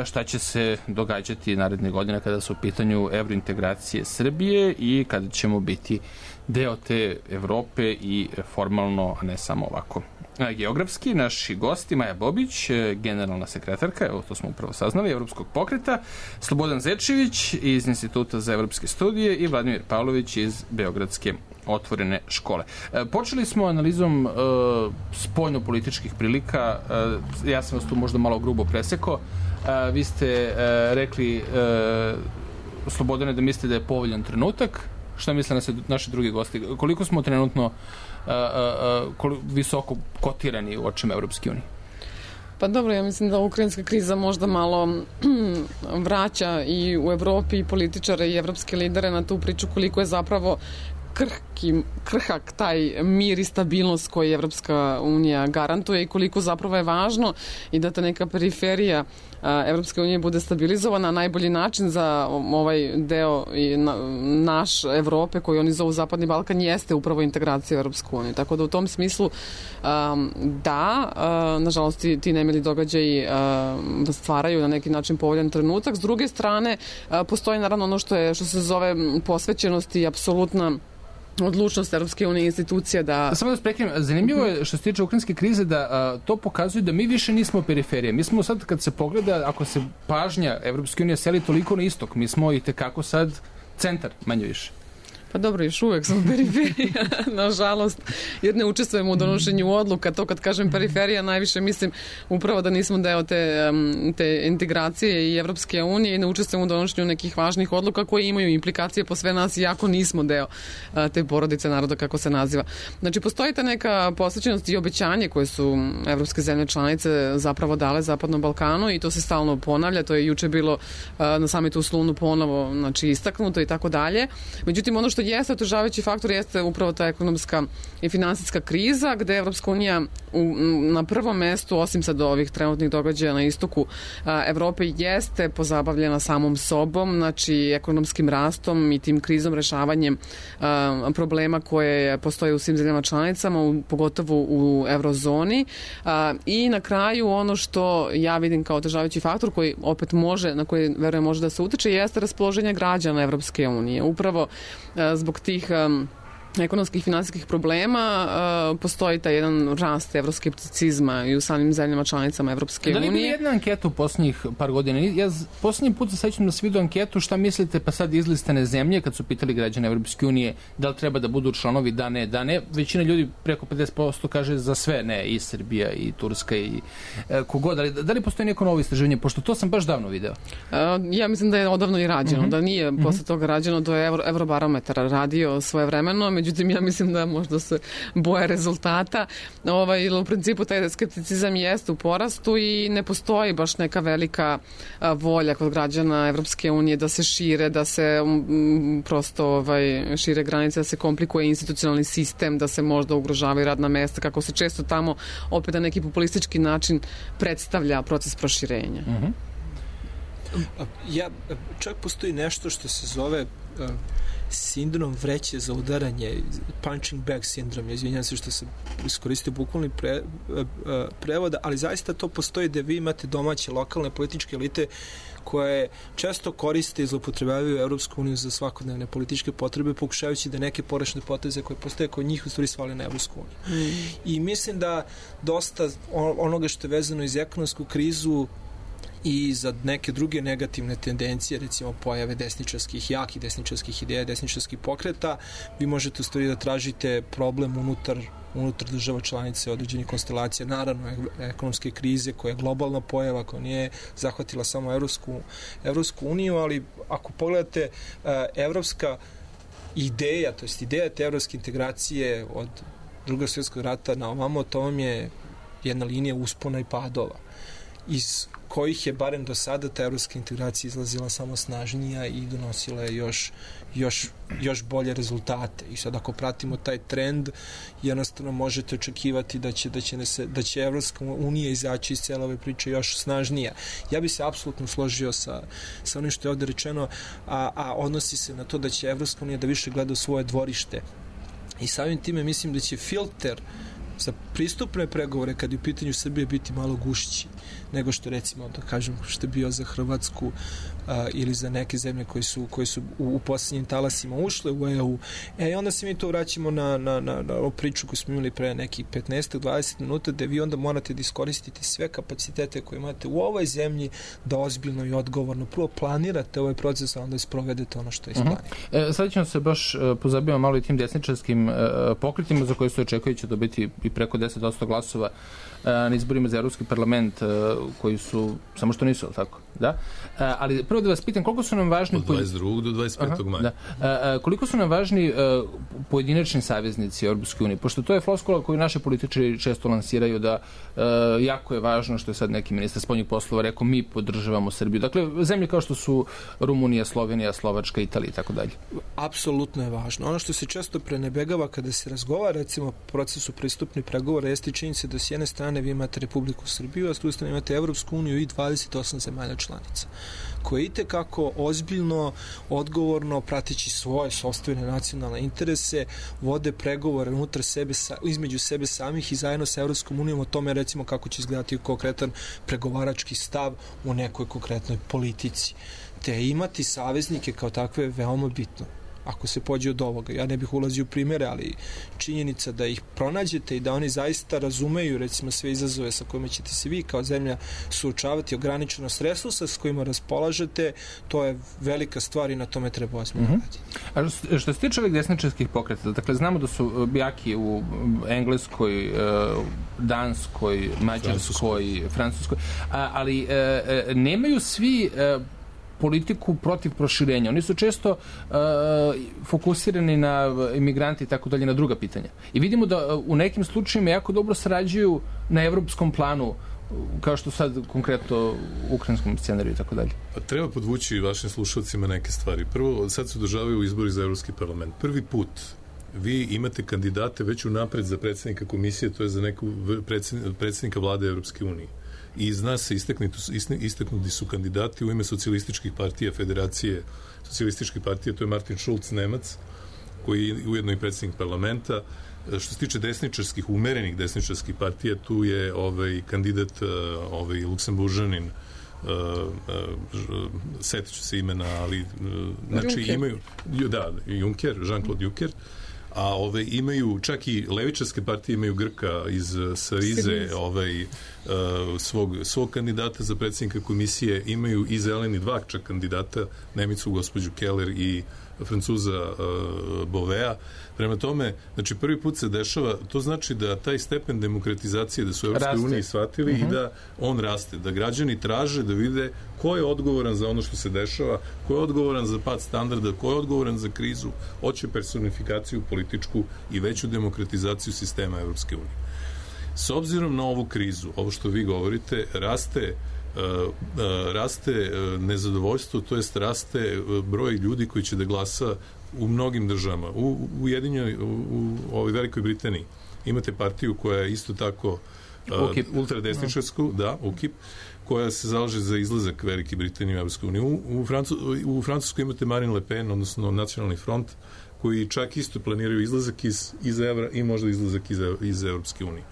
šta će se događati naredne godine kada su u pitanju evrointegracije Srbije i kada ćemo biti deo te Evrope i formalno, a ne samo ovako geografski. Naši gosti Maja Bobić, generalna sekretarka, evo to smo upravo saznali, Evropskog pokreta, Slobodan Zečević iz Instituta za evropske studije i Vladimir Pavlović iz Beogradske otvorene škole. Počeli smo analizom uh, spoljno-političkih prilika. Uh, ja sam vas tu možda malo grubo presekao. Uh, vi ste uh, rekli uh, Slobodane da mislite da je povoljan trenutak. Šta misle na naši drugi gosti? Koliko smo trenutno uh, uh, koliko visoko kotirani u očima Evropske unije? Pa dobro, ja mislim da ukrajinska kriza možda malo vraća i u Evropi i političare i evropske lidere na tu priču koliko je zapravo krhki, krhak taj mir i stabilnost koji Evropska unija garantuje i koliko zapravo je važno i da ta neka periferija Evropske unije bude stabilizovana. Najbolji način za ovaj deo i na, naš Evrope koji oni zovu Zapadni Balkan jeste upravo integracija u Evropsku uniju. Tako da u tom smislu um, da, uh, nažalost ti, ti nemili događaji uh, stvaraju na neki način povoljan trenutak. S druge strane, uh, postoji naravno ono što, je, što se zove posvećenost i apsolutna odlučnost Evropske unije institucija da... Samo da spreknem, zanimljivo je što se tiče ukrajinske krize da a, to pokazuje da mi više nismo periferije. Mi smo sad, kad se pogleda, ako se pažnja Evropske unije seli toliko na istok, mi smo i tekako sad centar, manje više. Pa dobro, još uvek smo periferija, nažalost, jer ne učestvujemo u donošenju odluka. To kad kažem periferija, najviše mislim upravo da nismo deo te, te integracije i Evropske unije i ne učestvujemo u donošenju nekih važnih odluka koje imaju implikacije po sve nas, iako nismo deo te porodice naroda, kako se naziva. Znači, postoji ta neka posvećenost i obećanje koje su evropske zemlje članice zapravo dale Zapadnom Balkanu i to se stalno ponavlja. To je juče bilo na samitu u Slunu ponovo, znači, istaknuto i tako dalje. Međutim, ono što jeste otežavajući faktor jeste upravo ta ekonomska i finansijska kriza gde Evropska unija u, na prvom mestu, osim sad ovih trenutnih događaja na istoku a, Evrope, jeste pozabavljena samom sobom, znači ekonomskim rastom i tim krizom, rešavanjem a, problema koje postoje u svim zemljama članicama, u, pogotovo u eurozoni. A, I na kraju ono što ja vidim kao otežavajući faktor koji opet može, na koji verujem može da se utiče, jeste raspoloženje građana Evropske unije. Upravo a, zbog tih um, ekonomskih i finansijskih problema uh, postoji taj jedan rast evroskepticizma i u samim zemljama članicama Evropske unije. Da li bi jedna anketa u posljednjih par godina? Ja posljednji put se sećam da se vidio anketu šta mislite pa sad izlistane zemlje kad su pitali građane Evropske unije da li treba da budu članovi, da ne, da ne. Većina ljudi preko pedeset posto kaže za sve ne, i Srbija i Turska i e, kogod. Ali da li postoji neko novo istraživanje? Pošto to sam baš davno video. Uh, ja mislim da je odavno i rađeno. Uh-huh. Da nije uh-huh. posle toga rađeno, to je Euro, Eurobarometar radio svoje vremeno. Međutim, ja mislim da možda se boje rezultata. Ovaj, u principu taj skepticizam jeste u porastu i ne postoji baš neka velika a, volja kod građana Evropske unije da se šire, da se m, prosto ovaj, šire granice, da se komplikuje institucionalni sistem, da se možda ugrožavaju radna mesta, kako se često tamo opet na neki populistički način predstavlja proces proširenja. Uh-huh. Ja, čak postoji nešto što se zove uh, sindrom vreće za udaranje, punching bag sindrom, ja izvinjam se što se iskoristio bukvalni pre, prevoda, ali zaista to postoji da vi imate domaće lokalne političke elite koje često koriste i zloupotrebljavaju Evropsku uniju za svakodnevne političke potrebe, pokušavajući da neke porešne poteze koje postoje kod njih u stvari svali na Evropsku uniju. Mm. I mislim da dosta onoga što je vezano iz ekonomsku krizu i za neke druge negativne tendencije, recimo pojave desničarskih, jakih desničarskih ideja, desničarskih pokreta, vi možete u stvari da tražite problem unutar, unutar država članice određenih konstelacija, naravno ekonomske krize koja je globalna pojava, koja nije zahvatila samo Evropsku, Evropsku uniju, ali ako pogledate evropska ideja, to jest ideja te evropske integracije od Drugog svjetskog rata na ovamo, to vam je jedna linija uspona i padova, iz kojih je barem do sada ta evropska integracija izlazila samo snažnija i donosila je još, još, još bolje rezultate. I sad ako pratimo taj trend, jednostavno možete očekivati da će, da će, ne se, da će Evropska unija izaći iz cele ove priče još snažnija. Ja bi se apsolutno složio sa, sa onim što je ovde rečeno, a, a odnosi se na to da će Evropska unija da više gleda u svoje dvorište. I samim time mislim da će filter za pristupne pregovore kad je u pitanju Srbije biti malo gušći nego što recimo, da kažem, što je bio za Hrvatsku a, ili za neke zemlje koji su, koji su u, u posljednjim talasima ušle u E U. E, i onda se mi to vraćamo na, na, na, na ovu priču koju smo imali pre nekih petnaest do dvadeset minuta, da vi onda morate da iskoristite sve kapacitete koje imate u ovoj zemlji, da ozbiljno i odgovorno prvo planirate ovaj proces, a onda isprovedete ono što je isplanirano. Uh-huh. E, sad ćemo se baš uh, pozabavimo malo i tim desničarskim uh, pokretima za koje se očekuje će dobiti i preko deset posto glasova uh, na izborima za Evropski parlament, uh, koji su, samo što nisu, ali tako? Da? Uh, ali prvo da vas pitam, koliko su nam važni... Od dvadeset drugog do dvadeset petog maja. Da. Uh, uh, koliko su nam važni uh, pojedinačni saveznici Europske unije? Pošto to je floskula koju naši političari često lansiraju da uh, jako je važno što je sad neki ministar spoljnih poslova rekao, mi podržavamo Srbiju. Dakle, zemlje kao što su Rumunija, Slovenija, Slovačka, Italija i tako dalje. Apsolutno je važno. Ono što se često prenebegava kada se razgovara, recimo, o procesu pristupnih pregovora, jeste činjenica da s jedne strane vi imate Republiku Srbiju, a s druge strane imate Evropsku uniju i dvadeset osam zemalja članica, koje itekako ozbiljno, odgovorno, prateći svoje sopstvene nacionalne interese, vode pregovore unutar sebe, između sebe samih i zajedno sa Evropskom unijom o tome, recimo, kako će izgledati konkretan pregovarački stav u nekoj konkretnoj politici. Te imati saveznike kao takve je veoma bitno. Ako se pođe od ovoga, ja ne bih ulazio u primere, ali činjenica da ih pronađete i da oni zaista razumeju, recimo, sve izazove sa kojima ćete se vi kao zemlja suočavati, ograničenost resursa s kojima raspolažete, to je velika stvar i na tome treba ozbiljno mm-hmm. raditi. A što se tiče ovih desničarskih pokreta, dakle, znamo da su jaki u Engleskoj, Danskoj, Mađarskoj, Francuskoj, ali nemaju svi politiku protiv proširenja. Oni su često uh, fokusirani na imigranti i tako dalje, na druga pitanja. I vidimo da uh, u nekim slučajima jako dobro sarađuju na evropskom planu, kao što sad konkretno u ukrajinskom scenariju i tako dalje. Pa treba podvući vašim slušalcima neke stvari. Prvo, sad se održavaju izbori za Evropski parlament. Prvi put vi imate kandidate već unapred za predsjednika komisije, to je za neku predsjednika vlade Evropske unije. I zna se, isteknuti su kandidati u ime socijalističkih partija, Federacije socijalističkih partija, to je Martin Schulz, Nemac, koji je ujedno i predsjednik parlamenta. Što se tiče desničarskih, umerenih desničarskih partija, tu je ovaj kandidat, ovaj Luksemburžanin, uh, uh, setit ću se imena, ali uh, znači Juncker. imaju, da, Juncker, Jean-Claude Juncker, a ove imaju, čak i levičarske partije imaju Grka iz Sarize, ovaj, uh, svog, svog kandidata za predsjednika komisije, imaju i zeleni dva čak kandidata, Nemicu, gospođu Keller i Francuza uh, Bovea. Prema tome, znači prvi put se dešava, to znači da taj stepen demokratizacije, da su Evropske unije shvatili uh-huh. i da on raste, da građani traže da vide ko je odgovoran za ono što se dešava, ko je odgovoran za pad standarda, ko je odgovoran za krizu, hoće personifikaciju političku i veću demokratizaciju sistema Evropske unije. S obzirom na ovu krizu, ovo što vi govorite, raste Uh, uh, raste uh, nezadovoljstvo, to jest raste uh, broj ljudi koji će da glasa u mnogim državama. U Ujedinjenoj, u, u ovoj Velikoj Britaniji imate partiju koja je isto tako uh, ultradesničarsku, no. da, U K I P, koja se zalaže za izlazak Velike Britanije u Evropsku uniju. U, u, Francu, u Francuskoj imate Marine Le Pen, odnosno Nacionalni front, koji čak isto planiraju izlazak iz, iz evra i možda izlazak iz, iz Evropske unije.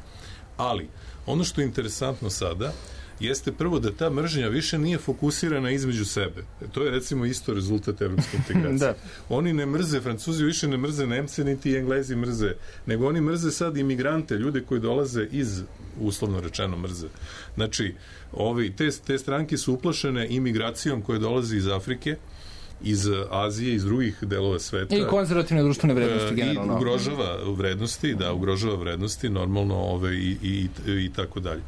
Ali, ono što je interesantno sada jeste prvo da ta mržnja više nije fokusirana između sebe. To je recimo isto rezultat evropske integracije. da. Oni ne mrze, Francuzi više ne mrze Nemce, niti Englezi mrze, nego oni mrze sad imigrante, ljude koji dolaze iz, uslovno rečeno, mrze. Znači, ovi, te, te stranke su uplašene imigracijom koja dolazi iz Afrike, iz Azije, iz drugih delova sveta. I konzervativne društvene vrednosti generalno. I ugrožava vrednosti, da, ugrožava vrednosti, normalno, ove, i, i, i tako dalje.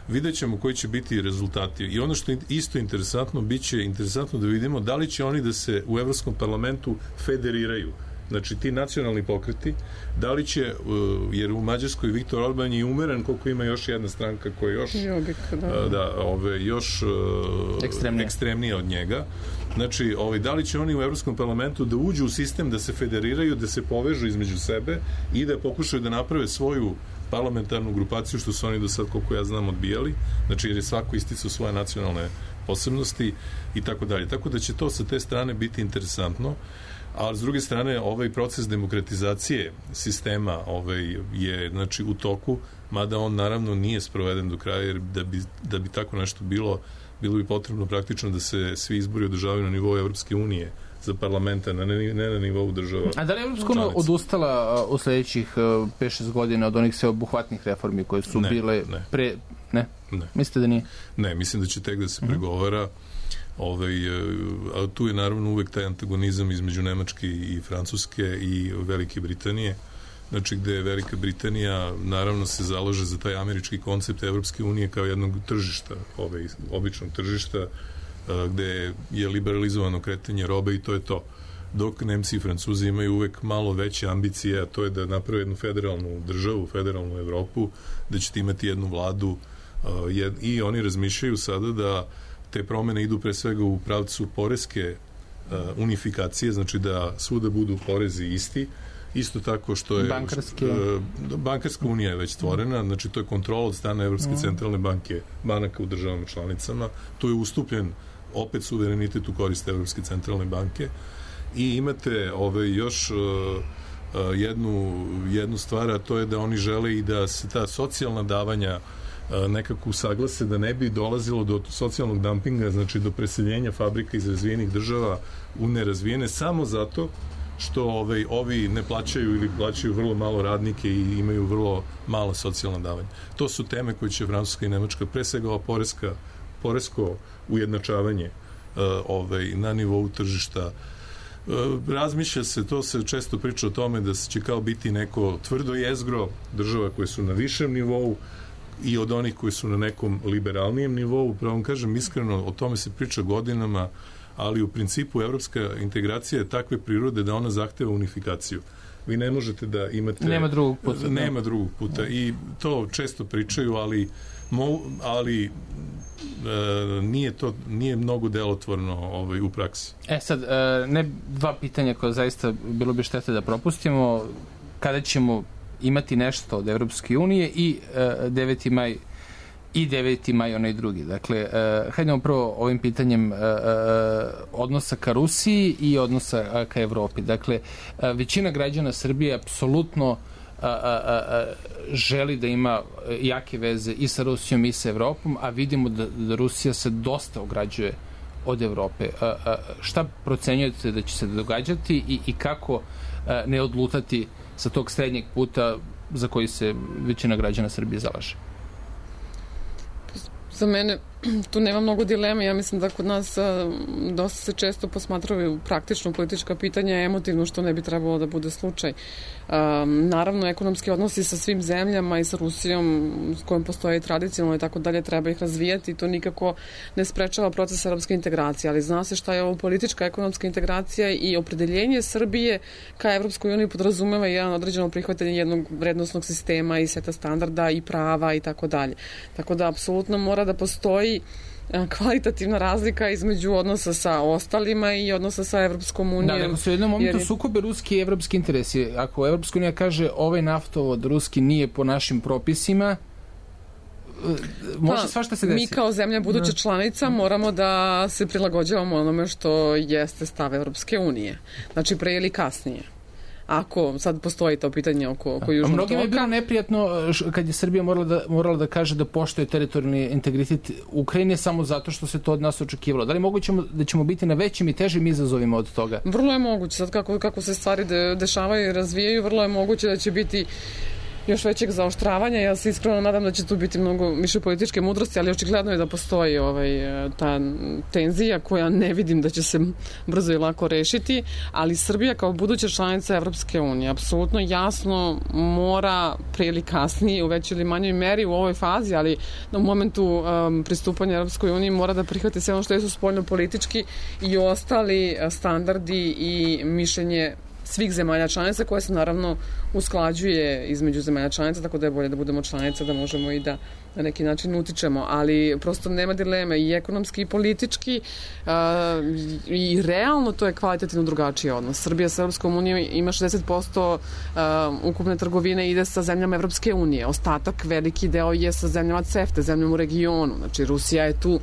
Vidjet ćemo koji će biti rezultati. I ono što je isto interesantno, bit će interesantno da vidimo da li će oni da se u Evropskom parlamentu federiraju. Znači, ti nacionalni pokreti, da li će, jer u Mađarskoj Viktor Orban je umeren koliko ima još jedna stranka koja je još, Jobik, da. Da, ove, još ekstremnija. ekstremnija od njega. Znači, ovaj, da li će oni u Evropskom parlamentu da uđu u sistem, da se federiraju, da se povežu između sebe i da pokušaju da naprave svoju parlamentarnu grupaciju, što su oni do sad, koliko ja znam, odbijali. Znači, jer je svako isticao svoje nacionalne posebnosti i tako dalje. Tako da će to sa te strane biti interesantno. A s druge strane, ovaj proces demokratizacije sistema ovaj, je, znači, u toku, mada on naravno nije sproveden do kraja, jer da bi, da bi tako nešto bilo, bilo bi potrebno praktično da se svi izbori održavaju na nivou Evropske unije za parlamenta, ne, ne, ne na nivou država. A da li je Evropska unija odustala u sledećih pet šest godina od onih sveobuhvatnih reformi koje su ne, bile ne. pre... Ne? Ne. Mislite da nije? Ne, mislim da će tek da se uh-huh. pregovara. Ovaj, a tu je naravno uvek taj antagonizam između Nemačke i Francuske i Velike Britanije. Znači, gde Velika Britanija naravno se zalaže za taj američki koncept Evropske unije kao jednog tržišta, ovaj, običnog tržišta, gde je liberalizovano kretanje robe i to je to. Dok Nemci i Francuzi imaju uvek malo veće ambicije, a to je da naprave jednu federalnu državu, federalnu Evropu, da ćete imati jednu vladu jed, i oni razmišljaju sada da te promene idu pre svega u pravcu poreske unifikacije, znači da svuda budu porezi isti. Isto tako što je Bankarske. Bankarska unija je već stvorena, znači to je kontrola od strane Evropske mm. centralne banke, banaka u državama članicama. Tu je ustupljen opet suverenitet u korist Evropske centralne banke i imate ove, još uh, uh, jednu, jednu stvar, a to je da oni žele i da se ta socijalna davanja uh, nekako usaglase, da ne bi dolazilo do socijalnog dumpinga, znači do preseljenja fabrika iz razvijenih država u nerazvijene, samo zato što ovaj, ovi ne plaćaju ili plaćaju vrlo malo radnike i imaju vrlo mala socijalna davanja. To su teme koje će Francuska i Nemačka, pre svega ova poreska, poresko ujednačavanje uh, ovaj, na nivou tržišta. Uh, razmišlja se, to se često priča o tome da će kao biti neko tvrdo jezgro država koje su na višem nivou i od onih koji su na nekom liberalnijem nivou. Pravo vam kažem iskreno, o tome se priča godinama, ali u principu evropska integracija je takve prirode da ona zahteva unifikaciju. Vi ne možete da imate... Nema drugog puta. Nema drugog puta i to često pričaju, ali, mo, ali e, nije to nije mnogo delotvorno ovaj, u praksi. E sad, e, ne dva pitanja koja zaista bilo bi štete da propustimo. Kada ćemo imati nešto od Evropske unije i e, deveti maj i deveti maj onaj drugi. Dakle, uh, hajdemo prvo ovim pitanjem uh, uh, odnosa ka Rusiji i odnosa uh, ka Evropi. Dakle, uh, većina građana Srbije apsolutno uh, uh, uh, želi da ima jake veze i sa Rusijom i sa Evropom, a vidimo da, da Rusija se dosta ograđuje od Evrope. Uh, uh, šta procenjujete da će se događati i, i kako uh, ne odlutati sa tog srednjeg puta za koji se većina građana Srbije zalaže? Za mene tu nema mnogo dileme. Ja mislim da kod nas a, dosta se često posmatraju praktično politička pitanja, emotivno, što ne bi trebalo da bude slučaj. A, naravno, ekonomski odnosi sa svim zemljama i sa Rusijom, s kojom postoje tradicionalno i tako dalje, treba ih razvijati i to nikako ne sprečava proces evropske integracije, ali zna se šta je ovo politička ekonomska integracija i opredeljenje Srbije ka Evropskoj uniji podrazumeva jedan određeno prihvatanje jednog vrednosnog sistema i seta standarda i prava i tako dalje. Tako da, apsolutno mora da postoji kvalitativna razlika između odnosa sa ostalima i odnosa sa Evropskom unijom. Da, nego su u jednom momentu je... sukobe ruski i evropski interesi. Ako Evropska unija kaže ovaj naftovod ruski nije po našim propisima, može pa, svašta se desi. Mi kao zemlja buduća članica moramo da se prilagođavamo onome što jeste stav Evropske unije. Znači, pre ili kasnije. Ako sad postoji to pitanje oko, oko Južnog toka. Mnogima je bilo neprijatno kad je Srbija morala da, morala da kaže da poštuje teritorijalni integritet Ukrajine samo zato što se to od nas očekivalo. Da li moguće da ćemo biti na većim i težim izazovima od toga? Vrlo je moguće. Sad kako, kako se stvari de, dešavaju i razvijaju, vrlo je moguće da će biti još većeg zaoštravanja. Ja se iskreno nadam da će tu biti mnogo više političke mudrosti, ali očigledno je da postoji ovaj, ta tenzija koja ne vidim da će se brzo i lako rešiti, ali Srbija kao buduća članica Evropske unije apsolutno jasno mora prije ili kasnije u većoj ili manjoj meri u ovoj fazi, ali u momentu um, pristupanja Evropskoj uniji mora da prihvati sve ono što su spoljno politički i ostali standardi i mišljenje svih zemalja članica koje se naravno usklađuje između zemalja članica, tako da je bolje da budemo članica, da možemo i da na neki način utičemo, ali prosto nema dileme i ekonomski i politički uh, i realno to je kvalitativno drugačiji odnos. Srbija sa Evropskom unijom ima šezdeset posto uh, ukupne trgovine ide sa zemljama Evropske unije, ostatak veliki deo je sa zemljama CEFTA, zemljama u regionu, znači Rusija je tu uh,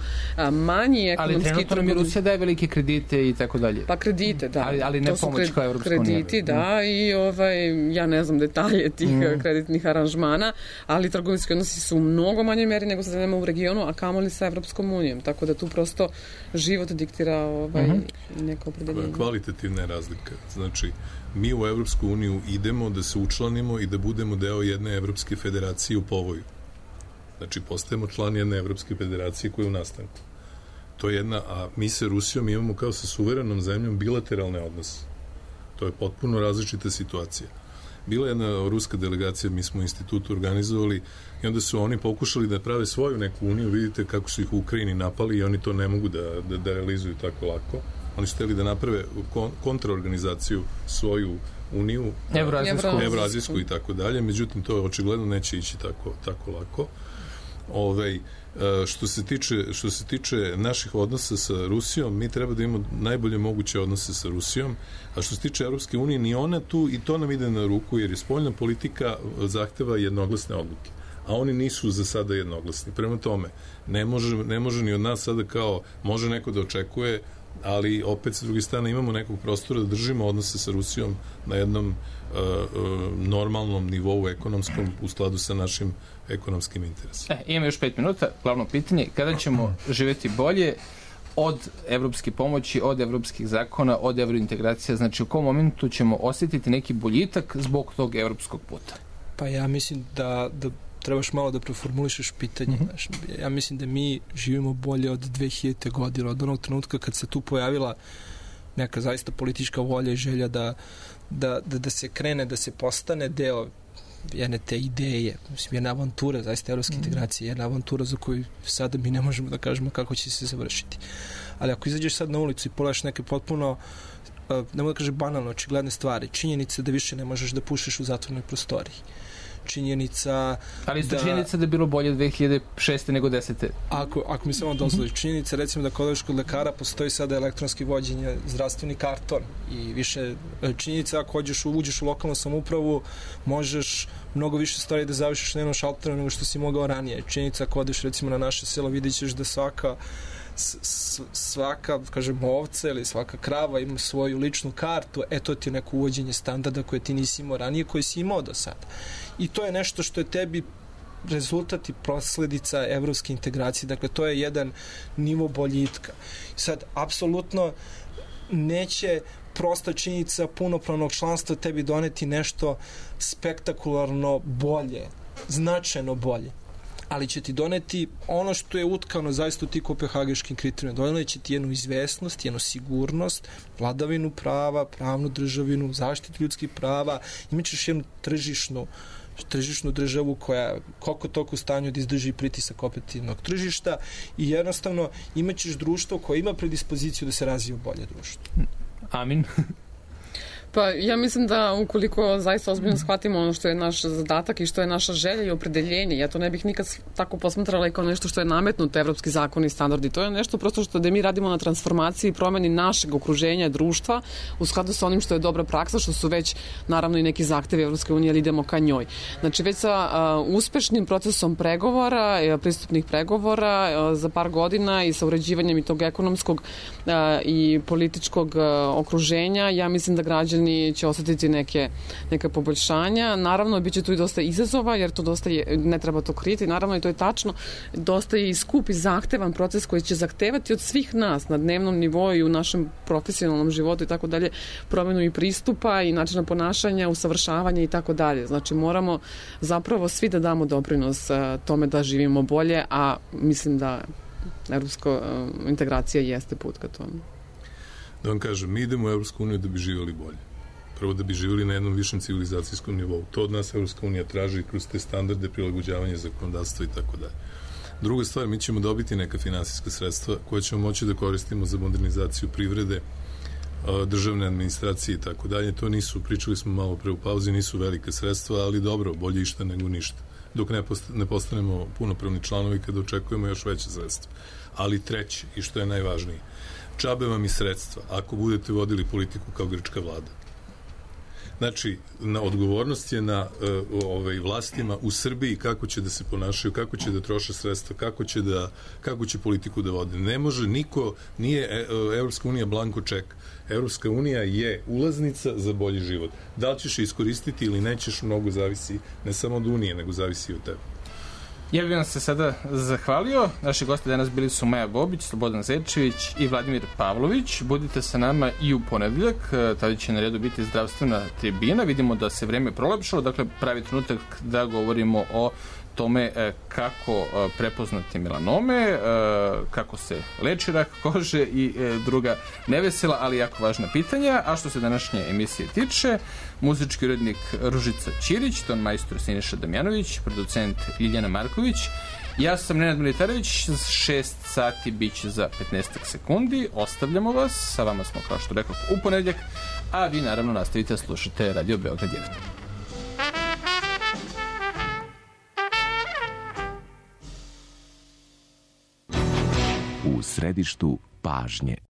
manji ekonomski... Ali trenutno mi Rusija daje velike kredite i tako dalje. Pa kredite, da. Ali, ali ne to pomoć kao Evropska unija. Krediti, da, mm. i ovaj, ja ne znam detalje tih mm. kreditnih aranžmana, ali trgovinski odnosi su mnogo mnogo manjoj meri nego sa zemljama u regionu, a kamoli sa Evropskom unijom. Tako da tu prosto život diktira ovaj, uh-huh. neko opredeljenje. Kvalitativna razlika. Znači, mi u Evropsku uniju idemo da se učlanimo i da budemo deo jedne Evropske federacije u povoju. Znači, postajemo član jedne Evropske federacije koja je u nastanku. To je jedna, a mi sa Rusijom imamo kao sa suverenom zemljom bilateralne odnose. To je potpuno različita situacija. Bila je jedna ruska delegacija, mi smo u institutu organizovali i onda su oni pokušali da prave svoju neku uniju, vidite kako su ih u Ukrajini napali i oni to ne mogu da, da, da realizuju tako lako. Oni su hteli da naprave kon, kontraorganizaciju svoju uniju, Evroazijsku, Evroazijsku i tako dalje, međutim to očigledno neće ići tako, tako lako. Ovaj, što se tiče što se tiče naših odnosa sa Rusijom, mi treba da imamo najbolje moguće odnose sa Rusijom, a što se tiče Evropske unije, ni ona tu, i to nam ide na ruku, jer je spoljna politika zahteva jednoglasne odluke, a oni nisu za sada jednoglasni. Prema tome, ne može, ne može ni od nas sada kao, može neko da očekuje, ali opet sa druge strane imamo nekog prostora da držimo odnose sa Rusijom na jednom uh, uh, normalnom nivou ekonomskom u skladu sa našim ekonomskim interesima. E, imamo još pet minuta. Glavno pitanje, kada ćemo živjeti bolje od evropske pomoći, od evropskih zakona, od evrointegracija? Znači, u kom momentu ćemo osjetiti neki boljitak zbog tog evropskog puta? Pa ja mislim da, da trebaš malo da preformulišeš pitanje. Mm-hmm. Znaš, ja mislim da mi živimo bolje od dve hiljadite godine, od onog trenutka kad se tu pojavila neka zaista politička volja i želja da, da, da, da se krene, da se postane deo jedne te ideje, mislim, jedna avantura, zaista evropske mm-hmm. integracije, jedna avantura za koju sada mi ne možemo da kažemo kako će se završiti. Ali ako izađeš sad na ulicu i pogledaš neke potpuno, ne mogu da kažem banalno, očigledne stvari, činjenica da više ne možeš da pušiš u zatvornoj prostoriji. Činjenica ali isto da, činjenica da je bilo bolje dve hiljade šeste nego desete. Ako, ako mi samo dozvoli, činjenica recimo da kod odeš kod lekara postoji sada elektronski vođenje, zdravstveni karton i više činjenica ako hođeš, uđeš u lokalnu samoupravu možeš mnogo više stvari da završiš na jednom šalteru nego što si mogao ranije. Činjenica ako odeš recimo na naše selo vidjet ćeš da svaka S, svaka, kažem, ovca ili svaka krava ima svoju ličnu kartu, e to ti je neko uvođenje standarda koje ti nisi imao ranije, koje si imao do sada. I to je nešto što je tebi rezultat i posledica evropske integracije, dakle to je jedan nivo boljitka. Sad, apsolutno neće prosta činjenica punopravnog članstva tebi doneti nešto spektakularno bolje, značajno bolje, ali će ti doneti ono što je utkano zaista u ti kopenhagenškim kriterijima. Doneti će ti jednu izvesnost, jednu sigurnost, vladavinu prava, pravnu državinu, zaštitu ljudskih prava, imat ćeš jednu tržišnu tržišnu državu koja koliko toliko u stanju da izdrži pritisak kompetitivnog tržišta i jednostavno imat ćeš društvo koje ima predispoziciju da se razvije bolje društvo. Amin. Pa ja mislim da ukoliko zaista ozbiljno shvatimo ono što je naš zadatak i što je naša želja i opredeljenje, ja to ne bih nikad tako posmatrala kao nešto što je nametnuto evropski zakoni i standardi. To je nešto prosto što da mi radimo na transformaciji i promeni našeg okruženja društva u skladu sa onim što je dobra praksa, što su već naravno i neki zahtevi Evropske unije, ali idemo ka njoj. Znači već sa uh, uspešnim procesom pregovora, pristupnih pregovora uh, za par godina i sa uređivanjem i tog ekonomskog uh, i političkog uh, okruženja, ja mislim da građani će osetiti neke, neke poboljšanja. Naravno, bit će tu i dosta izazova, jer to dosta je, ne treba to kriti, naravno i to je tačno, dosta je i skup i zahtevan proces koji će zahtevati od svih nas na dnevnom nivou i u našem profesionalnom životu i tako dalje, promenu i pristupa i načina ponašanja, usavršavanja i tako dalje. Znači, moramo zapravo svi da damo doprinos tome da živimo bolje, a mislim da evropska integracija jeste put ka tome. Da vam kažem, mi idemo u Evropsku uniju da bi živjeli bolje. Prvo da bi živjeli na jednom višem civilizacijskom nivou. To od nas Evropska unija traži kroz te standarde, prilagođavanje zakonodavstva i tako dalje. Druga stvar, mi ćemo dobiti neka finansijska sredstva koje ćemo moći da koristimo za modernizaciju privrede, državne administracije i tako dalje. To nisu, pričali smo malo pre u pauzi, nisu velike sredstva, ali dobro, bolje išta nego ništa. Dok ne, post, ne postanemo punopravni članovi kada očekujemo još veće sredstva. Ali treće, i što je najvažnije, džabe vam i sredstva ako budete vodili politiku kao grčka vlada. Znači, na odgovornost je na uh, ovaj, vlastima u Srbiji kako će da se ponašaju, kako će da troše sredstva, kako će, da, kako će politiku da vode. Ne može niko, nije Evropska unija blanko ček. Evropska unija je ulaznica za bolji život. Da li ćeš iskoristiti ili nećeš, mnogo zavisi ne samo od Unije, nego zavisi i od tebe. Ja bih vam se sada zahvalio. Naši gosti danas bili su Maja Bobić, Slobodan Zečević i Vladimir Pavlović. Budite sa nama i u ponedeljak. Tada će na redu biti zdravstvena tribina. Vidimo da se vreme prolepšalo, dakle pravi trenutak da govorimo o tome kako prepoznati melanome, kako se leči rak kože i druga nevesela, ali jako važna pitanja. A što se današnje emisije tiče, muzički urednik Ružica Ćirić, ton majstor Siniša Damjanović, producent Ljiljana Marković, ja sam Nenad Militarević, šest sati biće za petnaest sekundi, ostavljamo vas, sa vama smo, kao što rekao, u ponedeljak, a vi naravno nastavite da slušate Radio Beograd jedan. U središtu pažnje.